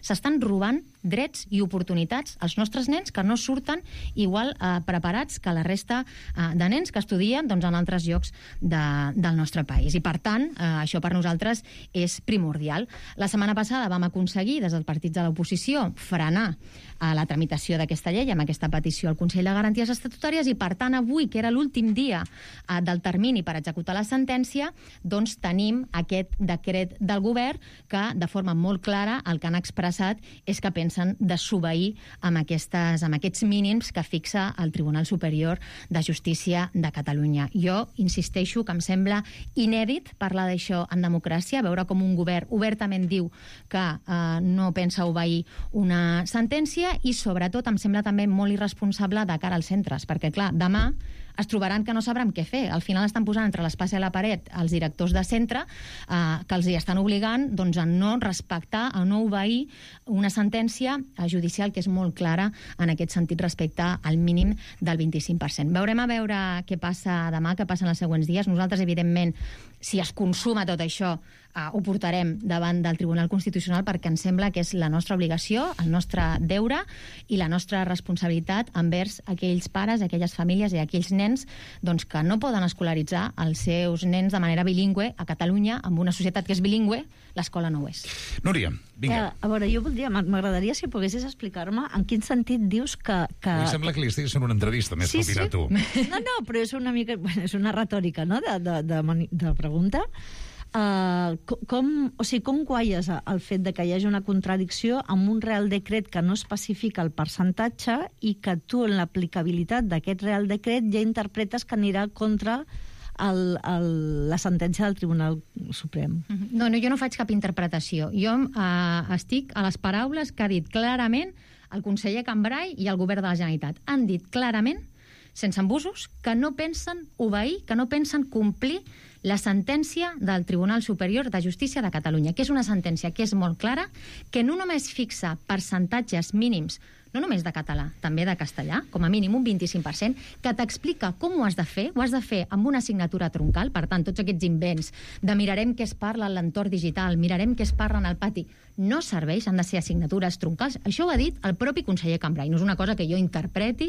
S'estan robant drets i oportunitats als nostres nens que no surten igual eh, preparats que la resta eh, de nens que estudien doncs, en altres llocs de, del nostre país. I, per tant, eh, això per nosaltres és primordial. La setmana passada vam aconseguir, des dels partits de l'oposició, frenar eh, la tramitació d'aquesta llei amb aquesta petició al Consell de Garanties Estatutàries i, per tant, avui, que era l'últim dia eh, del termini per executar la sentència, doncs tenim aquest decret del govern que, de forma molt clara, el que han expressat és que pensen desobeir amb, aquestes, amb aquests mínims que fixa el Tribunal Superior de Justícia de Catalunya. Jo insisteixo que em sembla inèdit parlar d'això en democràcia, veure com un govern obertament diu que eh, no pensa obeir una sentència i, sobretot, em sembla també molt irresponsable de cara als centres, perquè, clar, demà es trobaran que no sabran què fer. Al final estan posant entre l'espasa i la paret els directors de centre eh, que els hi estan obligant doncs, a no respectar, a no obeir una sentència judicial que és molt clara en aquest sentit respecte al mínim del vint-i-cinc per cent. Veurem a veure què passa demà, què passa en els següents dies. Nosaltres, evidentment, si es consuma tot això, eh, ho portarem davant del Tribunal Constitucional perquè ens sembla que és la nostra obligació, el nostre deure i la nostra responsabilitat envers aquells pares, aquelles famílies i aquells nens doncs, que no poden escolaritzar els seus nens de manera bilingüe a Catalunya, amb una societat que és bilingüe, l'escola no ho és. Núria, vinga. Eh, a veure, jo voldria, m'agradaria si poguessis explicar-me en quin sentit dius que... que... Em sembla que li estiguis fent una entrevista, més sí, que opinar sí. tu. No, no, però és una mica... Bueno, és una retòrica, no?, de, de, de, de pregunta. Uh, com, o sigui, com guaies el fet de que hi hagi una contradicció amb un Real Decret que no especifica el percentatge i que tu, en l'aplicabilitat d'aquest Real Decret, ja interpretes que anirà contra el, el, la sentència del Tribunal Suprem? No, no, jo no faig cap interpretació. Jo eh, estic a les paraules que ha dit clarament el conseller Cambray i el govern de la Generalitat. Han dit clarament, sense embusos, que no pensen obeir, que no pensen complir la sentència del Tribunal Superior de Justícia de Catalunya, que és una sentència que és molt clara, que no només fixa percentatges mínims, no només de català, també de castellà, com a mínim un vint-i-cinc per cent, que t'explica com ho has de fer, ho has de fer amb una assignatura troncal, per tant, tots aquests invents de mirarem què es parla en l'entorn digital, mirarem què es parla en el pati, no serveix, han de ser assignatures troncals. Això ho ha dit el propi conseller Cambray, no és una cosa que jo interpreti,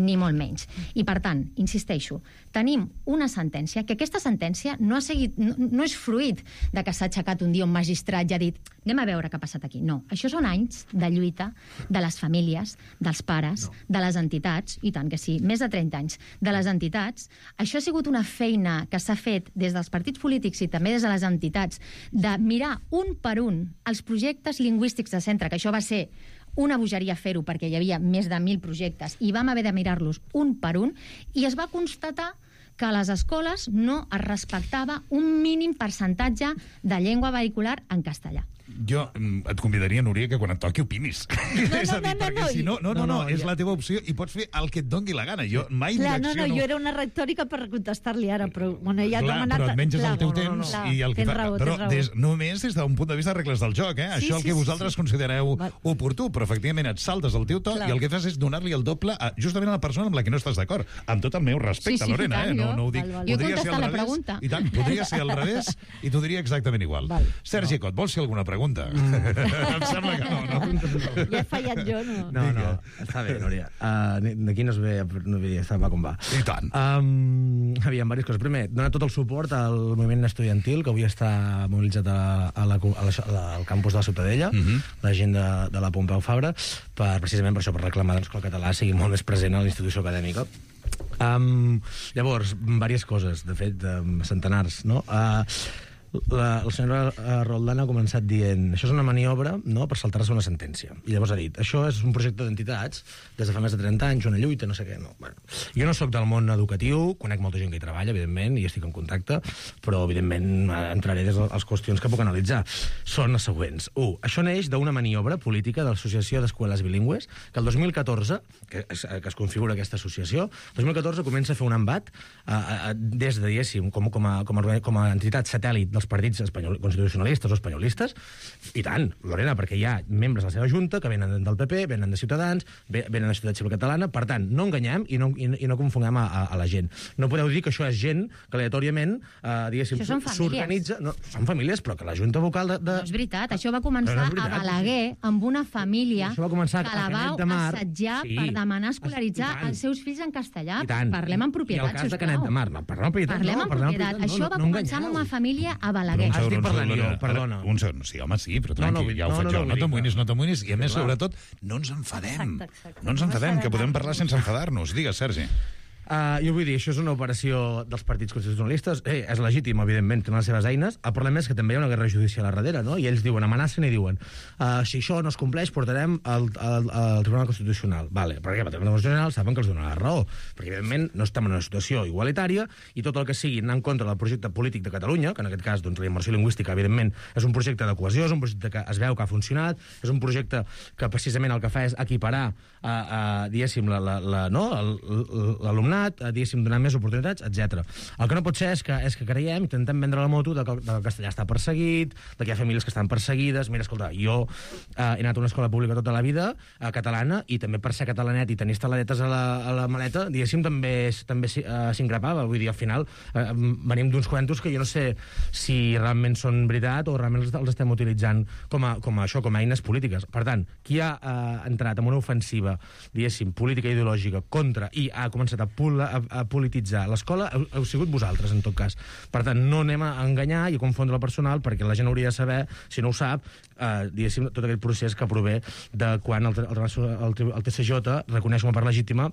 ni molt menys. I, per tant, insisteixo, tenim una sentència, que aquesta sentència no, ha seguit, no, no és fruit de que s'ha aixecat un dia un magistrat i ha dit anem a veure què ha passat aquí. No, això són anys de lluita de les famílies, dels pares, no. de les entitats, i tant que sí, més de trenta anys, de les entitats. Això ha sigut una feina que s'ha fet des dels partits polítics i també des de les entitats, de mirar un per un els projectes lingüístics de centre, que això va ser una bogeria fer-ho perquè hi havia més de mil projectes i vam haver de mirar-los un per un, i es va constatar que a les escoles no es respectava un mínim percentatge de llengua vehicular en castellà. Jo et convidaria, Núria, que quan et toqui opinis. No, és a dir, no, no, perquè no, si no, no, no, no, no, no, és ja. la teva opció i pots fer el que et doni la gana. Jo mai Clar, no, reacciono... no, jo era una retòrica per contestar-li ara, però bueno, ja Clar, demanat... però et menges clar, el teu no, no, temps no, no. i el que Tens fa... raó, però tens raó. des, només des d'un punt de vista de regles del joc, eh? Sí, Això el sí, que sí, vosaltres sí. considereu Val. oportú, però efectivament et saltes el teu to Clar. i el que fas és donar-li el doble a, justament a la persona amb la que no estàs d'acord. Amb tot el meu respecte, Sí, sí, Lorena, tant, eh? No, jo. no ho dic. Val, val. Jo he Podria ser contestat al la revés. pregunta. I tant, podria ser al revés i t'ho diria exactament igual. Val. Sergi Cot, vols fer alguna pregunta? Em sembla que no, no? Ja he fallat jo, no? No, no, està bé, Núria. Uh, D'aquí no es ve, no ve, està va com va. I tant. Um, aviam, diverses coses. Primer, donar tot el suport al moviment estudiantil, que avui està mobilitzat a, a la, a la, a la, al campus de la Ciutadella, Mhm. la gent de, de la Pompeu Fabra, per, precisament per això, per reclamar doncs, que el català sigui molt més present a la institució acadèmica. Um, llavors, diverses coses, de fet, um, centenars, no? Uh, La, la senyora Roldán ha començat dient això és una maniobra, no?, per saltar-se una sentència. I llavors ha dit, això és un projecte d'entitats des de fa més de trenta anys, una lluita, no sé què. No. Bueno, jo no sóc del món educatiu, conec molta gent que hi treballa, evidentment, i estic en contacte, però, evidentment, entraré des de les qüestions que puc analitzar. Són les següents. Un, això neix d'una maniobra política de l'Associació d'Escoles Bilingües, que el dos mil catorze, que es, que es configura aquesta associació, el dos mil catorze comença a fer un embat eh, eh, des de, diguéssim, com, com, a, com, a, com a entitat satèl·lit dels partits espanyol, constitucionalistes o espanyolistes, i tant, Lorena, perquè hi ha membres de la seva junta que venen del P P, venen de Ciutadans, venen de Societat Civil Catalana, per tant, no enganyem i no, i, i no confonguem a, a, a la gent. No podeu dir que això és gent que aleatòriament, eh, diguéssim, s'organitza... No, són famílies, però que la junta vocal de... de... No és veritat, això va començar no és veritat, a Balaguer amb una família Això va començar que la a va Canet de Mar. assetjar Sí. per demanar escolaritzar I tant. els seus fills en castellà. I tant. Parlem amb propietat, I el cas de sisplau. Canet de Mar, no, parlem amb propietat, Parlem no, amb parlem amb propietat. propietat, Això no, va no començar amb enganyeu. una família a Però Balaguer. un segon, Estic un parlant segon, jo, Lorena. perdona. Un segon, sí, home, sí, però No, no, tranquil, vull- ja ho no, faig no, jo. no, No vull dir t'amoïnis, que- no t'amoïnis, i a més, clar. sobretot, no ens enfadem. Exacte, exacte. No ens No enfadem, que enfadem. podem parlar sense enfadar-nos. Digues, Sergi. Uh, jo vull dir, això és una operació dels partits constitucionalistes. Eh, és legítim, evidentment, tenen les seves eines. El problema és que també hi ha una guerra judicial a darrere, no? I ells diuen, amenacen i diuen uh, si això no es compleix, portarem al, al, al Tribunal Constitucional. Vale, perquè el Tribunal Constitucional saben que els donarà la raó, perquè, evidentment, no estem en una situació igualitària i tot el que sigui anar en contra del projecte polític de Catalunya, que en aquest cas, doncs, la immersió lingüística, evidentment, és un projecte de cohesió, és un projecte que es veu que ha funcionat, és un projecte que precisament el que fa és equiparar, uh, uh, diguéssim, la, la, la, no? l'alumnat, uh, diguéssim, donar més oportunitats, etcètera. El que no pot ser és que, és que creiem, intentem vendre la moto de que, de que el castellà està perseguit, de que hi ha famílies que estan perseguides. Mira, escolta, jo eh, he anat a una escola pública tota la vida, eh, catalana, i també per ser catalanet i tenir esteladetes a la, a la maleta, diguéssim, també, també eh, s'increpava. Vull dir, al final eh, venim d'uns cuentos que jo no sé si realment són veritat o realment els, els estem utilitzant com a, com a això, com a eines polítiques. Per tant, qui ha eh, entrat en una ofensiva, diguéssim, política i ideològica contra i ha començat a, pol a, a polititzar l'escola, heu, heu sigut vosaltres, en tot cas. Per tant, no anem a enganyar i a confondre el personal, perquè la gent hauria de saber, si no ho sap, eh, diguéssim, tot aquest procés que prové de quan el, el, el, el T C J reconeix com a part legítima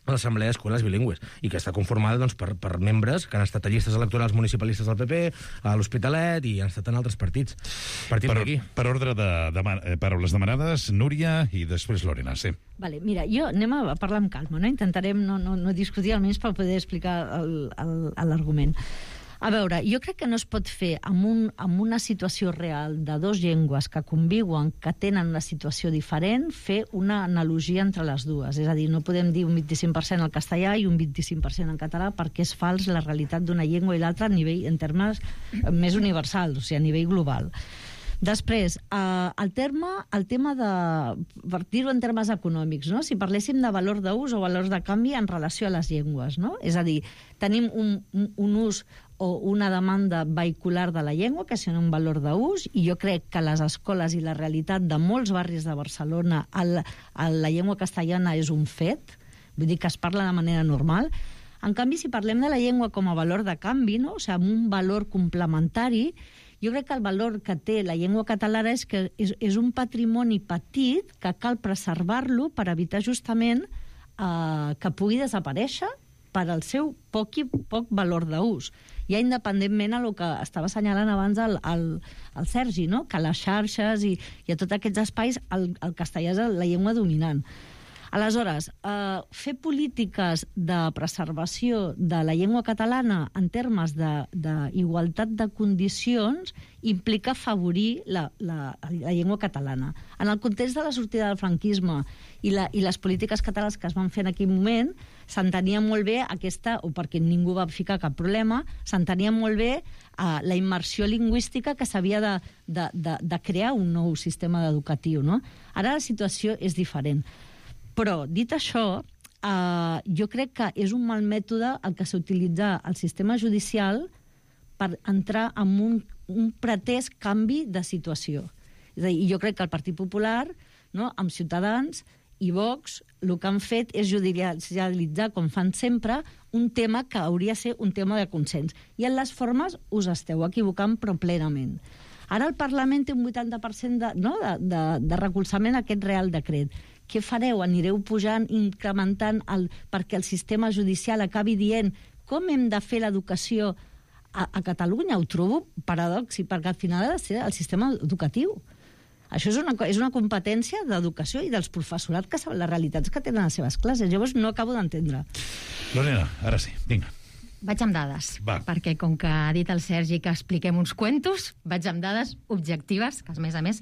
l'Assemblea d'Escoles Bilingües, i que està conformada doncs, per, per membres que han estat a llistes electorals municipalistes del P P, a l'Hospitalet, i han estat en altres partits. Partint Per, d'aquí. per ordre de, de, de paraules demanades, Núria i després Lorena, sí. Vale, mira, jo anem a parlar amb calma, no? Intentarem no, no, no discutir, almenys per poder explicar l'argument. A veure, jo crec que no es pot fer amb, un, amb una situació real de dos llengües que conviuen, que tenen una situació diferent, fer una analogia entre les dues. És a dir, no podem dir un vint-i-cinc per cent al castellà i un vint-i-cinc per cent en català perquè és fals la realitat d'una llengua i l'altra a nivell, en termes més universals, o sigui, a nivell global. Després, eh, el, terme, el tema de, per dir-ho en termes econòmics, no? Si parléssim de valor d'ús o valors de canvi en relació a les llengües, no? És a dir, tenim un, un, un ús o una demanda vehicular de la llengua, que és un valor d'ús, i jo crec que les escoles i la realitat de molts barris de Barcelona, el, el, la llengua castellana és un fet, vull dir que es parla de manera normal. En canvi, si parlem de la llengua com a valor de canvi, no? O sigui, amb un valor complementari, jo crec que el valor que té la llengua catalana és que és, és un patrimoni petit que cal preservar-lo per evitar justament eh, que pugui desaparèixer per al seu poc i poc valor d'ús. Ja independentment a el que estava assenyalant abans el, el, el Sergi, no? Que a les xarxes i, i a tots aquests espais el, el castellà és la llengua dominant. Aleshores, eh, fer polítiques de preservació de la llengua catalana en termes d'igualtat de, de condicions implica afavorir la, la, la llengua catalana. En el context de la sortida del franquisme i, la, i les polítiques catalanes que es van fer en aquell moment, s'entenia molt bé aquesta, o perquè ningú va ficar cap problema, s'entenia molt bé eh, la immersió lingüística que s'havia de, de, de, de crear un nou sistema educatiu, no? Ara la situació és diferent. Però, dit això, eh, jo crec que és un mal mètode el que s'utilitza al sistema judicial per entrar en un, un pretès canvi de situació. És a dir, jo crec que el Partit Popular, no, amb Ciutadans i Vox, el que han fet és judicialitzar, com fan sempre, un tema que hauria de ser un tema de consens. I en les formes us esteu equivocant, però plenament. Ara el Parlament té un vuitanta per cent de, no, de, de, de recolzament a aquest Real Decret. Què fareu? Anireu pujant, incrementant, el, perquè el sistema judicial acabi dient com hem de fer l'educació a, a Catalunya? Ho trobo paradoxi, perquè al final ha de ser el sistema educatiu. Això és una, és una competència d'educació i dels professorat que saben les realitats que tenen a les seves classes. Llavors no acabo d'entendre. Lorena, ara sí, vinga. Vaig amb dades, Va. perquè com que ha dit el Sergi que expliquem uns cuentos, vaig amb dades objectives, que a més a més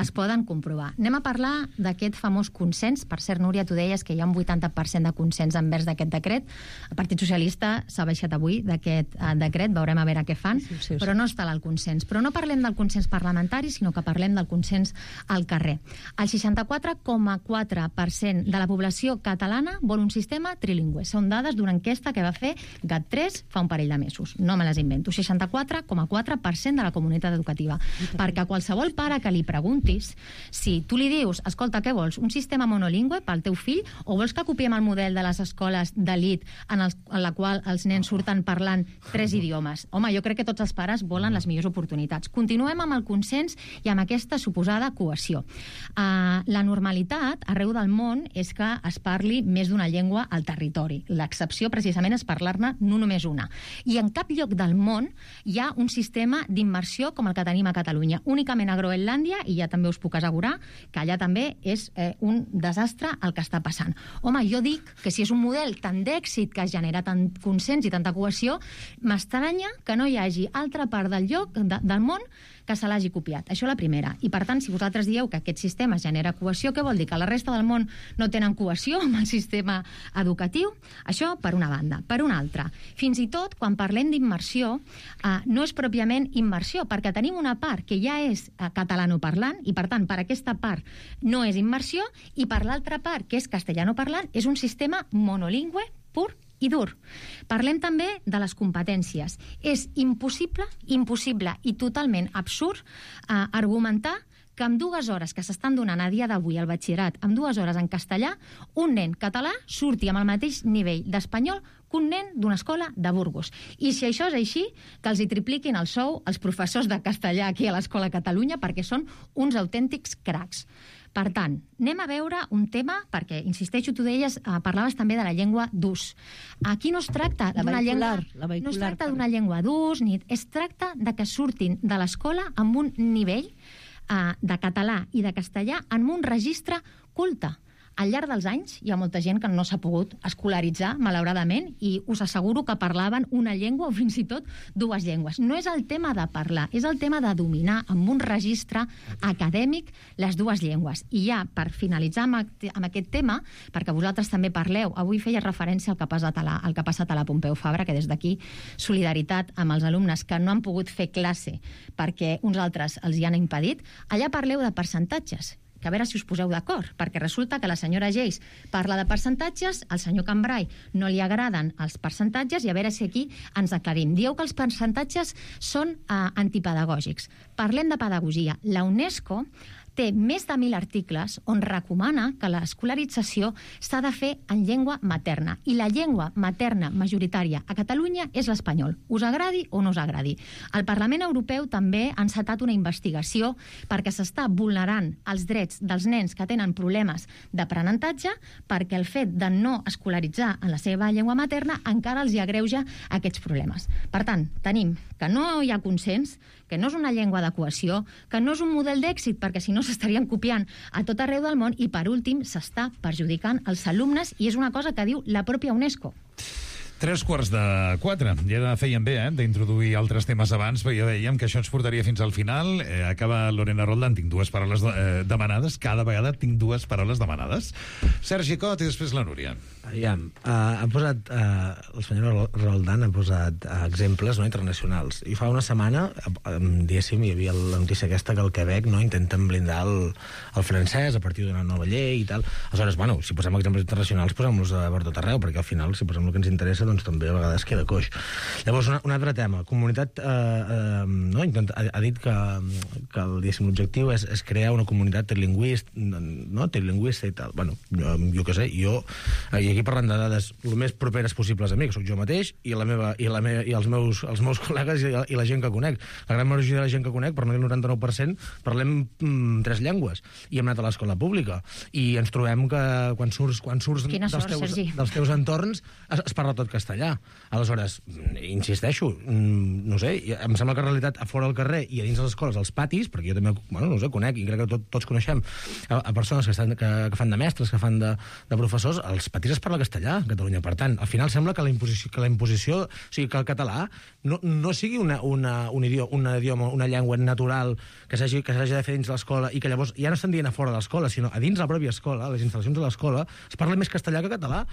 es poden comprovar. Anem a parlar d'aquest famós consens. Per cert, Núria, tu deies que hi ha un vuitanta per cent de consens envers d'aquest decret. El Partit Socialista s'ha baixat avui d'aquest eh, decret, veurem a veure què fan, sí, sí, sí. Però no està el consens. Però no parlem del consens parlamentari, sinó que parlem del consens al carrer. El seixanta-quatre coma quatre per cent de la població catalana vol un sistema trilingüe. Són dades d'una enquesta que va fer GAT tres fa un parell de mesos. No me les invento. seixanta-quatre coma quatre per cent de la comunitat educativa. Perquè a qualsevol pare que li preguntis, si tu li dius, escolta, què vols? Un sistema monolingüe pel teu fill o vols que copiem el model de les escoles d'elit en, el, en la qual els nens surten parlant tres idiomes? Home, jo crec que tots els pares volen les millors oportunitats. Continuem amb el consens i amb aquesta suposada cohesió. Uh, la normalitat arreu del món és que es parli més d'una llengua al territori. L'excepció precisament és parlar-ne no només una. I en cap lloc del món hi ha un sistema d'immersió com el que tenim a Catalunya. Únicament a Groenlàndia, i ja també us puc assegurar que allà també és eh, un desastre el que està passant. Home, jo dic que si és un model tan d'èxit que genera tant consens i tanta cohesió, m'estranya que no hi hagi altra part del lloc de, del món que se l'hagi copiat. Això la primera. I per tant, si vosaltres dieu que aquest sistema genera cohesió, què vol dir? Que la resta del món no tenen cohesió amb el sistema educatiu? Això per una banda. Per una altra, fins i tot quan parlem d'immersió, eh, no és pròpiament immersió, perquè tenim una part que ja és eh, catalanoparlant, i per tant, per aquesta part no és immersió, i per l'altra part, que és castellanoparlant, és un sistema monolingüe pur i dur. Parlem també de les competències. És impossible, impossible i totalment absurd eh, argumentar que amb dues hores que s'estan donant a dia d'avui al batxillerat, amb dues hores en castellà, un nen català surti amb el mateix nivell d'espanyol que un nen d'una escola de Burgos. I si això és així, que els hi tripliquin el sou als professors de castellà aquí a l'Escola Catalunya, perquè són uns autèntics cracs. Per tant, anem a veure un tema, perquè, insisteixo, tu deies, eh, parlaves també de la llengua d'ús. Aquí no es tracta d'una llengua, no es tracta d'una llengua d'ús, ni es tracta de que surtin de l'escola amb un nivell eh, de català i de castellà en un registre culte, Al llarg dels anys hi ha molta gent que no s'ha pogut escolaritzar, malauradament, i us asseguro que parlaven una llengua o fins i tot dues llengües. No és el tema de parlar, és el tema de dominar amb un registre acadèmic les dues llengües. I ja, per finalitzar amb, amb aquest tema, perquè vosaltres també parleu, avui feia referència al que ha passat a la, al que ha passat a la Pompeu Fabra, que des d'aquí solidaritat amb els alumnes que no han pogut fer classe perquè uns altres els hi han impedit. Allà parleu de percentatges, que a veure si us poseu d'acord, perquè resulta que la senyora Geis parla de percentatges, al senyor Cambrai no li agraden els percentatges, i a veure si aquí ens aclarim. Dieu que els percentatges són eh, antipedagògics. Parlem de pedagogia. La UNESCO té més de mil articles on recomana que l'escolarització s'ha de fer en llengua materna. I la llengua materna majoritària a Catalunya és l'espanyol. Us agradi o no us agradi. El Parlament Europeu també ha encetat una investigació perquè s'està vulnerant els drets dels nens que tenen problemes d'aprenentatge, perquè el fet de no escolaritzar en la seva llengua materna encara els hi agreuja aquests problemes. Per tant, tenim que no hi ha consens, que no és una llengua de cohesió, que no és un model d'èxit, perquè si no s'estarien copiant a tot arreu del món, i per últim s'està perjudicant els alumnes, i és una cosa que diu la pròpia UNESCO. Tres quarts de quatre. Ja feien bé, eh, d'introduir altres temes abans, perquè ja dèiem que això ens portaria fins al final. Eh, acaba Lorena Roldán, tinc dues paraules eh, demanades. Cada vegada tinc dues paraules demanades. Sergi Cot i després la Núria. Aviam, uh, ha posat, uh, el senyor Roldán ha posat uh, exemples no, internacionals. I fa una setmana, uh, diguéssim, hi havia la notícia aquesta que el Quebec no, intenten blindar el, el francès a partir d'una nova llei i tal. Aleshores, bueno, si posem exemples internacionals, posem-los a per tot arreu, perquè al final, si posem el que ens interessa, doncs també a vegades queda coix. Llavors, una, un altre tema. Comunitat eh, eh, no, intent, ha, ha dit que, que l'objectiu és, és crear una comunitat trilingüista, no? trilingüista i tal. Bueno, jo, jo què sé, jo, i aquí parlant de dades el més properes possibles a mi, que sóc jo mateix, i, la meva, i, la meva, i els, meus, els meus col·legues i la, i la gent que conec. La gran majoria de la gent que conec, per no dir el noranta-nou per cent, parlem mm, tres llengües. I hem anat a l'escola pública. I ens trobem que quan surts, quan surts dels, sort, teus, Sergi. dels teus entorns es, es parla tot castellà. Aleshores, insisteixo, no sé, em sembla que en realitat a fora del carrer i a dins de les escoles, als patis, perquè jo també, bueno, no sé, conec, i crec que tot, tots coneixem a, a persones que, estan, que, que fan de mestres, que fan de, de professors, als patis es parla castellà a Catalunya. Per tant, al final sembla que la imposició, que la imposició o sigui, que el català no, no sigui una, una, un idioma, una, idioma, una llengua natural que s'hagi de fer dins l'escola i que llavors ja no estan dient a fora de l'escola, sinó a dins la pròpia escola, a les instal·lacions de l'escola, es parla més castellà que català.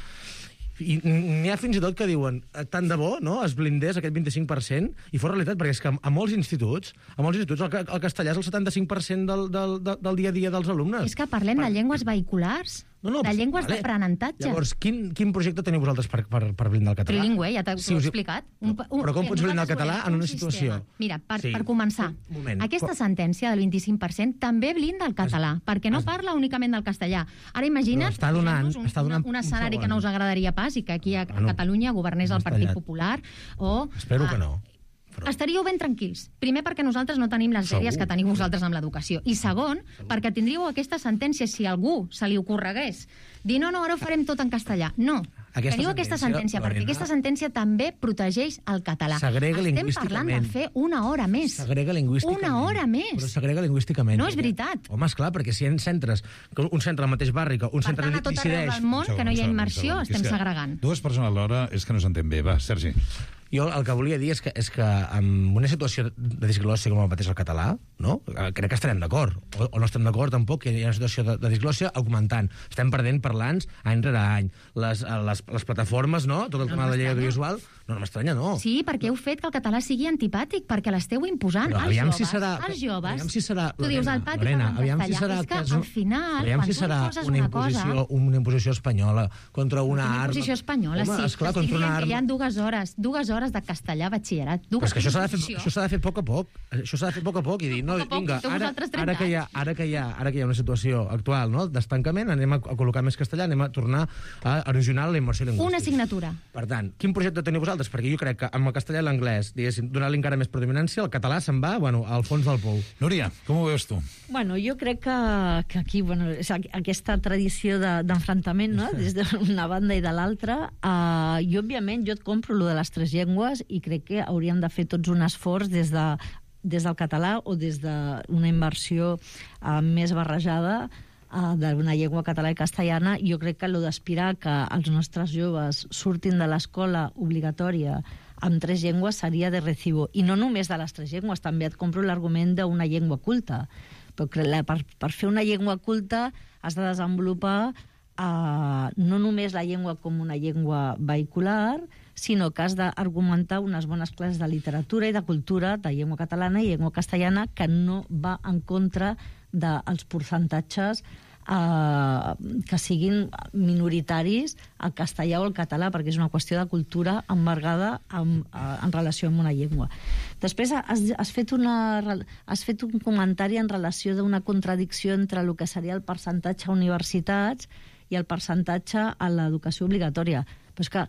I n'hi ha fins i tot que diuen tant de bo, no?, es blindés aquest vint-i-cinc per cent i fos realitat, perquè és que a molts instituts a molts instituts el, el castellà és el setanta-cinc per cent del, del, del dia a dia dels alumnes. És que parlem per... de llengües vehiculars. No, no, de llengües vale. d'aprenentatge. Llavors, quin, quin projecte teniu vosaltres per, per, per blindar el català? Trilingüe, ja t'ho si he us... explicat. Un, un, Però com pots blindar el català en una situació? Mira, per, sí. per començar, moment. aquesta sentència del vint-i-cinc per cent també blinda el català, es... perquè no es... parla únicament del castellà. Ara imagina't està donant, un, està donant un, un escenari un que no us agradaria pas i que aquí a, a bueno, Catalunya governés el Partit Popular o... Espero a, que no. Però... Estaríeu ben tranquils. Primer, perquè nosaltres no tenim les dèries que teniu vosaltres amb l'educació. I segon, Segur. perquè tindríeu aquesta sentència si algú se li ocorregués dir no, no, ara ho farem tot en castellà. No. Aquesta Teniu aquesta sentència, perquè aquesta sentència també protegeix el català. Segrega Estem parlant de fer una hora més. Segrega lingüísticament. Una hora més. Però segrega lingüísticament. No és veritat. Home, esclar, perquè si hi ha centres, un centre al mateix barri, que un per centre tant, a tot arreu del món, que no hi ha immersió, estem segregant. Dues persones alhora és que no s'entén bé. Va, Sergi. Jo el que volia dir és que, és que en una situació de disglòssia com el mateix el català, no? Crec que estarem d'acord. O, o no estem d'acord tampoc que hi ha una situació de, de disglòssia augmentant. Estem perdent parlants any rere any. Les, les, les plataformes, no? Tot el tema no de la llei audiovisual. No, no m'estranya, no. Sí, perquè heu fet que el català sigui antipàtic, perquè l'esteu imposant Però, als joves. Si serà, als joves. Aviam si serà... Tu dius, al pati Lorena, parlen castellà. Si serà, és que, que al final, aviam quan si serà tu poses una una imposició, cosa... una imposició espanyola contra una Una arma... imposició espanyola, Home, sí. Esclar, Estic contra una dient arma... que hi ha dues hores, dues hores de castellà a batxillerat. Però és que això s'ha de fer, això s'ha de fer a poc a poc. Això s'ha de fer a poc a poc i dir, no, poc a poc, vinga, sou ara, vosaltres ara, que hi ha, ara, que hi ha, ara que hi ha una situació actual, no?, d'estancament, anem a, a col·locar més castellà, anem a tornar a erosionar la immersió lingüística. Una assignatura. Per tant, quin projecte teniu vosaltres? Perquè jo crec que amb el castellà i l'anglès, diguéssim, donar-li encara més predominància, el català se'n va, bueno, al fons del pou. Núria, com ho veus tu? Bueno, jo crec que, que aquí, bueno, és aquesta tradició d'enfrontament, de, no?, des d'una banda i de l'altra, uh, i òbviament jo et compro lo de les tres llengües i crec que hauríem de fer tots un esforç des de des del català o des d'una immersió uh, més barrejada d'una llengua catalana i castellana. Jo crec que allò d'aspirar que els nostres joves surtin de l'escola obligatòria amb tres llengües seria de recibo. I no només de les tres llengües, també et compro l'argument d'una llengua culta. Però per, per fer una llengua culta has de desenvolupar eh, no només la llengua com una llengua vehicular, sinó que has d'argumentar unes bones classes de literatura i de cultura, de llengua catalana i llengua castellana, que no va en contra dels percentatges eh, que siguin minoritaris al castellà o al català, perquè és una qüestió de cultura embargada en, en relació amb una llengua. Després has, has, fet una, has fet un comentari en relació d'una contradicció entre el que seria el percentatge a universitats i el percentatge a l'educació obligatòria. Però és que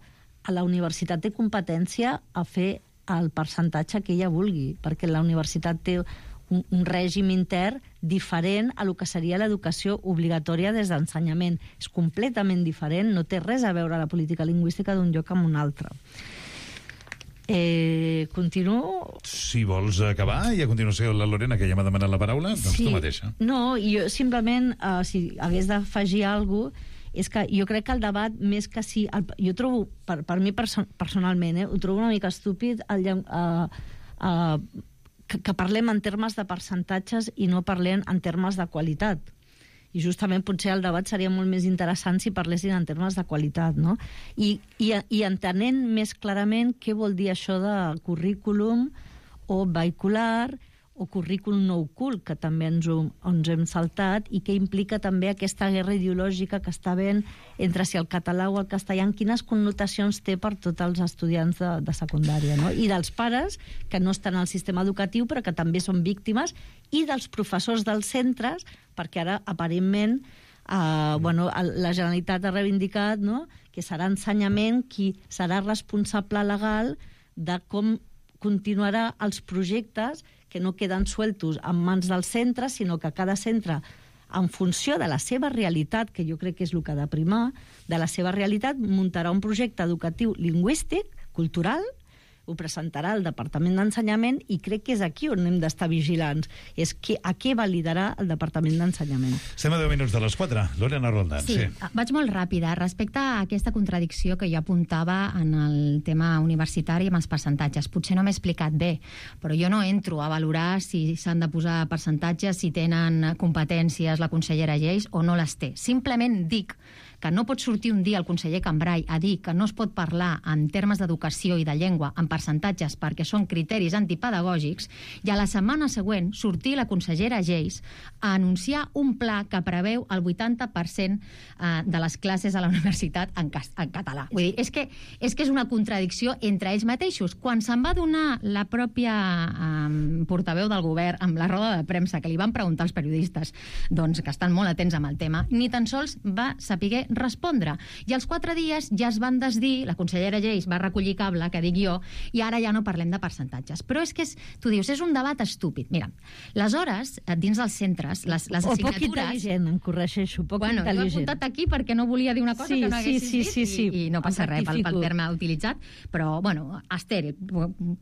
a la universitat té competència a fer el percentatge que ella vulgui, perquè la universitat té un, un règim intern diferent a lo que seria l'educació obligatòria des d'ensenyament. És completament diferent, no té res a veure la política lingüística d'un lloc amb un altre. Eh, continuo? Si vols acabar, i a continuació la Lorena, que ja m'ha demanat la paraula, doncs sí. tu mateixa. No, jo simplement, uh, si hagués d'afegir alguna cosa, és que jo crec que el debat, més que si... El, jo trobo, per, per mi perso personalment, eh, ho trobo una mica estúpid el, uh, uh, que, que parlem en termes de percentatges i no parlem en termes de qualitat. I justament potser el debat seria molt més interessant si parlessin en termes de qualitat, no? I, i, i entenent més clarament què vol dir això de currículum o vehicular o currículum no ocult, que també ens, ho, ens hem saltat, i que implica també aquesta guerra ideològica que està havent entre si el català o el castellà, quines connotacions té per tots els estudiants de, de secundària, no? I dels pares, que no estan al sistema educatiu, però que també són víctimes, i dels professors dels centres, perquè ara, aparentment, eh, bueno, la Generalitat ha reivindicat, no?, que serà ensenyament qui serà responsable legal de com continuarà els projectes que no queden sueltos en mans del centre, sinó que cada centre, en funció de la seva realitat, que jo crec que és el que ha de primar, de la seva realitat, muntarà un projecte educatiu lingüístic, cultural, ho presentarà al Departament d'Ensenyament, i crec que és aquí on hem d'estar vigilants. És que, a què validarà el Departament d'Ensenyament. Estem a deu minuts de les quatre. Lorena Roldán. Sí, sí, vaig molt ràpida. Respecte a aquesta contradicció que jo apuntava en el tema universitari amb els percentatges. Potser no m'he explicat bé, però jo no entro a valorar si s'han de posar percentatges, si tenen competències la consellera Geis o no les té. Simplement dic que no pot sortir un dia el conseller Cambray a dir que no es pot parlar en termes d'educació i de llengua en percentatges perquè són criteris antipedagògics, i a la setmana següent sortir la consellera Geis a anunciar un pla que preveu el vuitanta per cent de les classes a la universitat en, en català. Vull dir, és que, és que és una contradicció entre ells mateixos. Quan se'n va donar la pròpia um, portaveu del govern amb la roda de premsa que li van preguntar als periodistes, doncs, que estan molt atents amb el tema, ni tan sols va saber respondre. I als quatre dies ja es van desdir, la consellera Geis va recollir cable, que dic jo, i ara ja no parlem de percentatges. Però és que, és, tu dius, és un debat estúpid. Mira, les hores, dins dels centres, les, les o assignatures... poc intel·ligent, em corregeixo, poc bueno, intel·ligent. Jo he apuntat aquí perquè no volia dir una cosa sí, que no haguessis sí, sí, dit, sí, sí. I, i no passa res pel, pel terme utilitzat, però, bueno, estèril,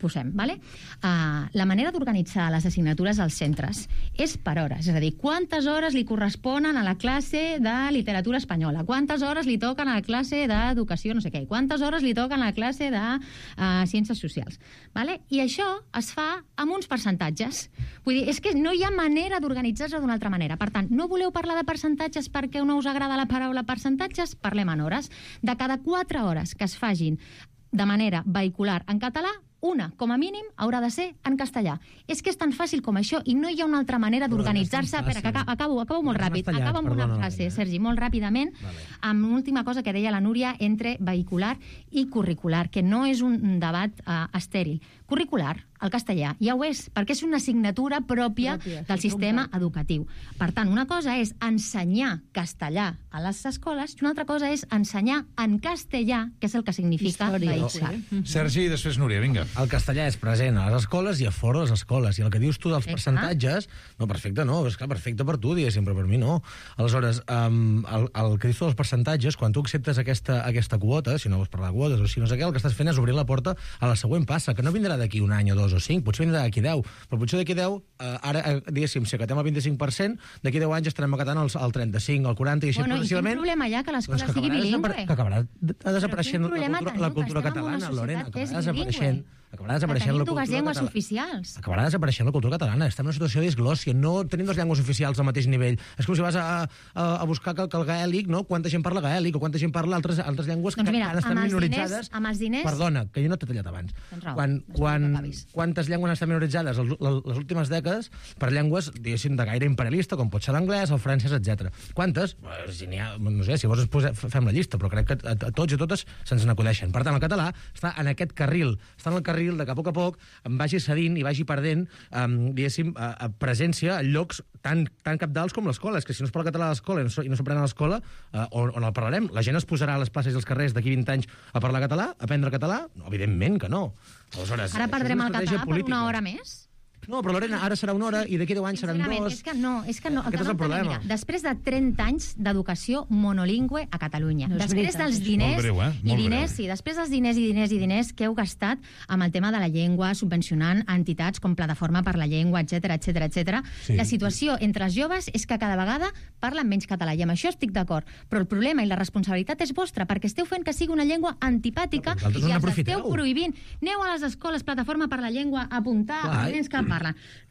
posem, vale? Uh, la manera d'organitzar les assignatures als centres és per hores, és a dir, quantes hores li corresponen a la classe de literatura espanyola, quantes hores li toquen a la classe d'educació no sé què, quantes hores li toquen a la classe de uh, ciències socials. Vale? I això es fa amb uns percentatges. Vull dir, és que no hi ha manera d'organitzar-se d'una altra manera. Per tant, no voleu parlar de percentatges perquè no us agrada la paraula percentatges? Parlem en hores. De cada quatre hores que es fagin de manera vehicular en català, una, com a mínim, haurà de ser en castellà. És que és tan fàcil com això i no hi ha una altra manera d'organitzar-se. Espera, que acabo, acabo molt ràpid. Acabo amb una frase, Sergi, molt ràpidament, amb una última cosa que deia la Núria entre vehicular i curricular, que no és un debat uh, estèril. Curricular, el castellà, ja ho és, perquè és una assignatura pròpia, pròpia del sí, sistema educatiu. Per tant, una cosa és ensenyar castellà a les escoles i una altra cosa és ensenyar en castellà, que és el que significa Història. vehicular. Sí. Sergi, i després Núria, vinga. El castellà és present a les escoles i a fora de les escoles. I el que dius tu dels Exacte. percentatges... No, perfecte, no. És clar, perfecte per tu, diguéssim, però per mi no. Aleshores, um, el, el que dius tu dels percentatges, quan tu acceptes aquesta, aquesta quota, si no vols parlar de quotes o si no sé què, el que estàs fent és obrir la porta a la següent passa, que no vindrà vindrà d'aquí un any o dos o cinc, potser vindrà d'aquí deu, però potser d'aquí deu, eh, ara, eh, diguéssim, si acatem el vint-i-cinc per cent, d'aquí deu anys estarem acatant el, el trenta-cinc, el quaranta, i així bueno, progressivament... I quin problema hi ha que l'escola doncs que sigui bilingüe? Que acabarà desapareixent la cultura, la cultura catalana, Lorena, acabarà desapareixent. Acabarà desapareixent la cultura dues llengües catalana. oficials. Acabarà desapareixent la cultura catalana. Estem en una situació de disglòssia. No tenim dues llengües oficials al mateix nivell. És com si vas a, a, a buscar que, que el gaèlic, no? Quanta gent parla gaèlic o quanta gent parla altres, altres llengües doncs que, mira, que estan amb minoritzades. Diners, amb els diners... Perdona, que jo no t'he tallat abans. Tens raó, quan, quan, quantes llengües han estat minoritzades les, les últimes dècades per llengües, diguéssim, de gaire imperialista, com pot ser l'anglès, el francès, etcètera. Quantes? Si n'hi ha, no sé, si vols posem, fem la llista, però crec que a, a tots i totes se'ns n'acudeixen. Per tant, el català està en aquest carril. Està en el carril de que a poc a poc em vagi cedint i vagi perdent, um, diguéssim, a, a presència en llocs tan, tan capdals com l'escola. És que si no es parla català a l'escola i no, i no s'aprèn a l'escola, uh, on, on el parlarem? La gent es posarà a les places i als carrers d'aquí vint anys a parlar català, a aprendre català? No, evidentment que no. Aleshores, ara perdrem el català per una hora més? No, però Lorena, ara serà una hora i d'aquí deu anys seran dos... És que no, és que no. Aquest és el problema. Mira, després de trenta anys d'educació monolingüe a Catalunya, no després veritat, dels diners Molt breu, eh? i Molt diners, breu. sí, després dels diners i diners i diners que heu gastat amb el tema de la llengua, subvencionant entitats com Plataforma per la Llengua, etcètera, etcètera, etcètera, Sí. la situació entre els joves és que cada vegada parlen menys català, i amb això estic d'acord, però el problema i la responsabilitat és vostra, perquè esteu fent que sigui una llengua antipàtica Però vosaltres i no els n'aprofiteu. esteu prohibint. Aneu a les escoles, Plataforma per la Llengua, a apuntar Clar. els nens que parlen.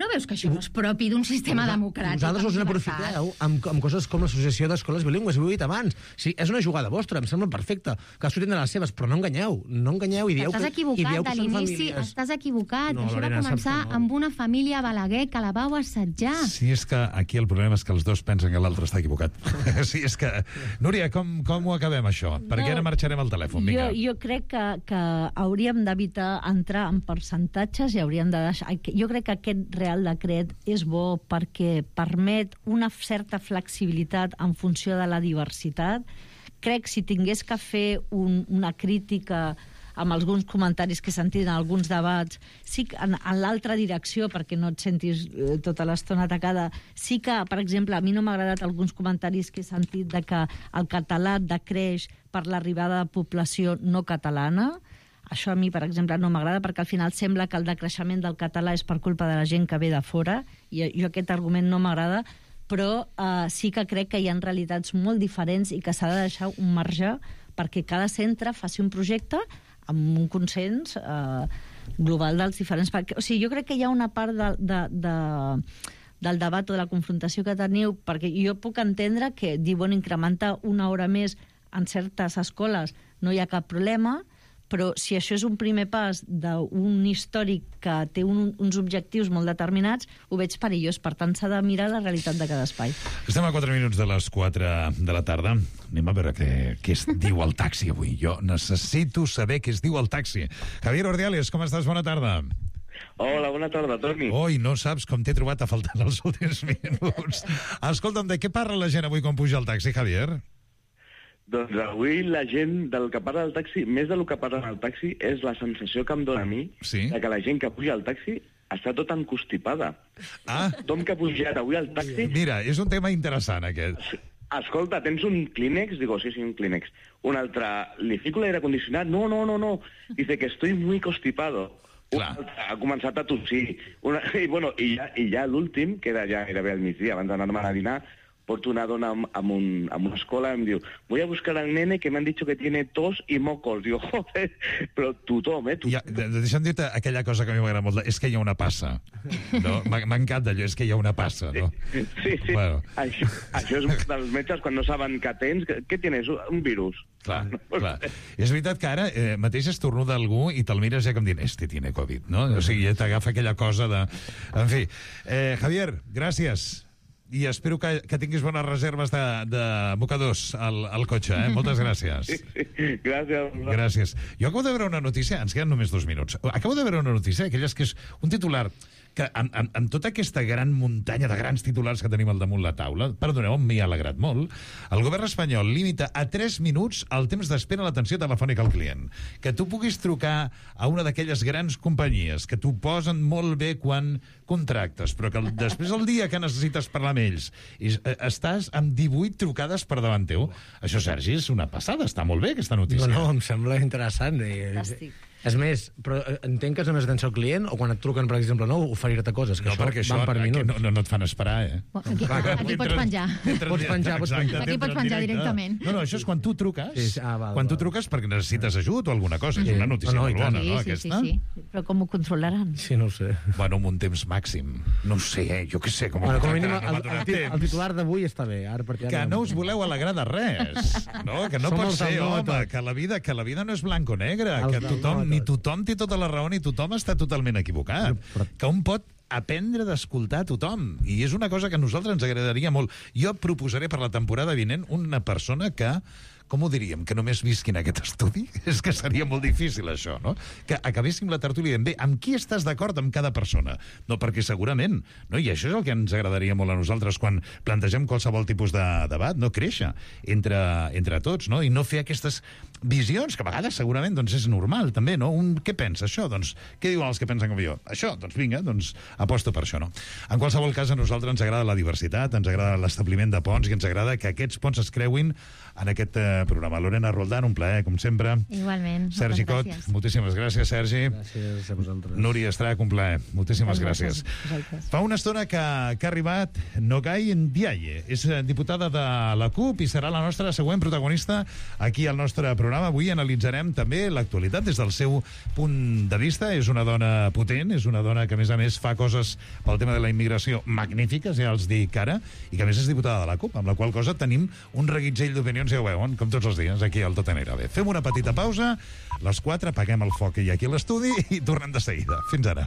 No veus que això no és propi d'un sistema democràtic? Vosaltres us amb n'aprofiteu amb, amb coses com l'associació d'escoles bilingües, ho he dit abans. Sí, és una jugada vostra, em sembla perfecta. Cadascú tindrà les seves, però no enganyeu. No enganyeu i dieu Estàs que, i equivocat dieu de que són l'inici, famílies. estàs equivocat. No, Això Lorena, va saps començar que no. amb una família a Balaguer que la vau assetjar. Sí, és que aquí el problema és que els dos pensen que l'altre està equivocat. Sí, és que... Núria, com, com ho acabem, això? Perquè No, ara marxarem al telèfon, Jo, vinga. jo crec que, que hauríem d'evitar entrar en percentatges i hauríem de deixar... Jo crec que aquest Real Decret és bo perquè permet una certa flexibilitat en funció de la diversitat. Crec que si tingués que fer un, una crítica amb alguns comentaris que he sentit en alguns debats, sí que en, en l'altra direcció, perquè no et sentis eh, tota l'estona atacada, sí que, per exemple, a mi no m'ha agradat alguns comentaris que he sentit de que el català decreix per l'arribada de població no catalana. Això a mi, per exemple, no m'agrada perquè al final sembla que el decreixement del català és per culpa de la gent que ve de fora, i jo aquest argument no m'agrada, però eh, sí que crec que hi ha realitats molt diferents i que s'ha de deixar un marge perquè cada centre faci un projecte amb un consens eh, global dels diferents... Perquè, o sigui, jo crec que hi ha una part de, de, de, del debat o de la confrontació que teniu, perquè jo puc entendre que dir, bueno, incrementar una hora més en certes escoles no hi ha cap problema, però si això és un primer pas d'un històric que té un, uns objectius molt determinats, ho veig perillós. Per tant, s'ha de mirar la realitat de cada espai. Estem a quatre minuts de les quatre de la tarda. Anem a veure què, què es diu el taxi avui. Jo necessito saber què es diu el taxi. Javier Ordiales, com estàs? Bona tarda. Hola, bona tarda, Toni. Oi, no saps com t'he trobat a faltar els últims minuts. Escolta'm, de què parla la gent avui quan puja al taxi, Javier? Doncs avui la gent del que parla del taxi, més del que parla del taxi, és la sensació que em dóna a mi sí? de que la gent que puja al taxi està tot encostipada. Ah. Tothom que ha pujat avui al taxi... Mira, és un tema interessant, aquest. Escolta, tens un Kleenex? Digo, sí, sí, un Kleenex. Un altre, ¿le fico l'aire acondicionat? No, no, no, no. Dice que estoy muy constipado. Un altre ha començat a tossir. Una... I, bueno, i ja, i ja l'últim, que era ja gairebé al migdia, abans d'anar-me a dinar, porto una dona amb, amb, un, amb una escola i em diu, voy a buscar al nene que me han dicho que tiene tos y mocos. Digo, joder, però tothom, eh? Tothom. Ja, de, de, deixa'm dir-te aquella cosa que a mi m'agrada molt, és que hi ha una passa. No? M'encanta allò, és que hi ha una passa, no? Sí, sí. sí. Bueno. Això, això és dels metges quan no saben que tens. Què tienes? Un virus. Clar, clar. És veritat que ara eh, mateix estornuda algú i te'l mires ja com dient, este tiene Covid, no? O sigui, ja t'agafa aquella cosa de... En fi, eh, Javier, gràcies. I espero que, que tinguis bones reserves de, de mocadors al, al cotxe, eh? Moltes gràcies. Sí, sí. Gràcies. Gràcies. Jo acabo de veure una notícia, ens queden només dos minuts, acabo de veure una notícia, aquelles que és un titular que amb, amb, amb tota aquesta gran muntanya de grans titulars que tenim al damunt la taula, perdoneu, m'hi ha alegrat molt, el govern espanyol limita a tres minuts el temps d'espera a l'atenció telefònica al client. Que tu puguis trucar a una d'aquelles grans companyies que t'ho posen molt bé quan contractes, però que el, després el dia que necessites parlar amb ells i, eh, estàs amb divuit trucades per davant teu. Això, Sergi, és una passada. Està molt bé, aquesta notícia. No, no, em sembla interessant. Fantàstic. És més, però entenc que és només atenció al client o quan et truquen, per exemple, no, oferir-te coses, que no, això, perquè això van per minuts. no, no, no et fan esperar, eh? Aquí, aquí pots penjar. Pots penjar, pots penjar. Aquí pots penjar directament. No, no, això és quan tu truques. Sí, sí. Ah, val, quan tu val. truques perquè necessites ajut o alguna cosa. Sí. És una notícia No, no, molt bona, sí, no, sí, aquesta? sí, sí. Però com ho controlaran? Sí, no ho sé. Bueno, amb un temps màxim. No ho sé, eh? Jo què sé. Com, Bueno, com a mínim, no el, m'ha el, donat el, el temps. titular d'avui està bé. Ara, perquè Que ara... no us voleu alegrar de res, no? Que no Som pot els ser, del no a home, tot. que la vida que la vida no és blanc o negre, Els que del no tothom, a ni tot. tothom té tota la raó ni tothom està totalment equivocat. Que un pot aprendre d'escoltar a tothom. I és una cosa que a nosaltres ens agradaria molt. Jo proposaré per la temporada vinent una persona que, com ho diríem, que només visqui en aquest estudi? És que seria molt difícil, això, no? Que acabéssim la tertúlia dient, bé, amb qui estàs d'acord amb cada persona? No, perquè segurament, no? I això és el que ens agradaria molt a nosaltres quan plantegem qualsevol tipus de debat, no? Créixer entre, entre tots, no? I no fer aquestes visions, que a vegades segurament doncs, és normal, també, no? Un, què pensa això? Doncs, què diuen els que pensen com jo? Això, doncs vinga, doncs aposto per això, no? En qualsevol cas, a nosaltres ens agrada la diversitat, ens agrada l'establiment de ponts i ens agrada que aquests ponts es creuin en aquest eh, programa. Lorena Roldán, un plaer, com sempre. Igualment. Sergi Cot, gràcies. moltíssimes gràcies, Sergi. Gràcies a vosaltres. Núria Estrach, un plaer. Moltíssimes Gràcies gràcies. a vosaltres. Fa una estona que, que ha arribat Nogai Ndiaye. És eh, diputada de la CUP i serà la nostra següent protagonista aquí al nostre programa. Avui analitzarem també l'actualitat des del seu punt de vista. És una dona potent, és una dona que, a més a més, fa coses pel tema de la immigració magnífiques, ja els dic ara, i que, a més, és diputada de la CUP, amb la qual cosa tenim un reguitzell d'opinions, ja ho veuen, com tots els dies, aquí al Tot Anirà Bé. Fem una petita pausa, les quatre, apaguem el foc que hi ha aquí a l'estudi i tornem de seguida. Fins ara.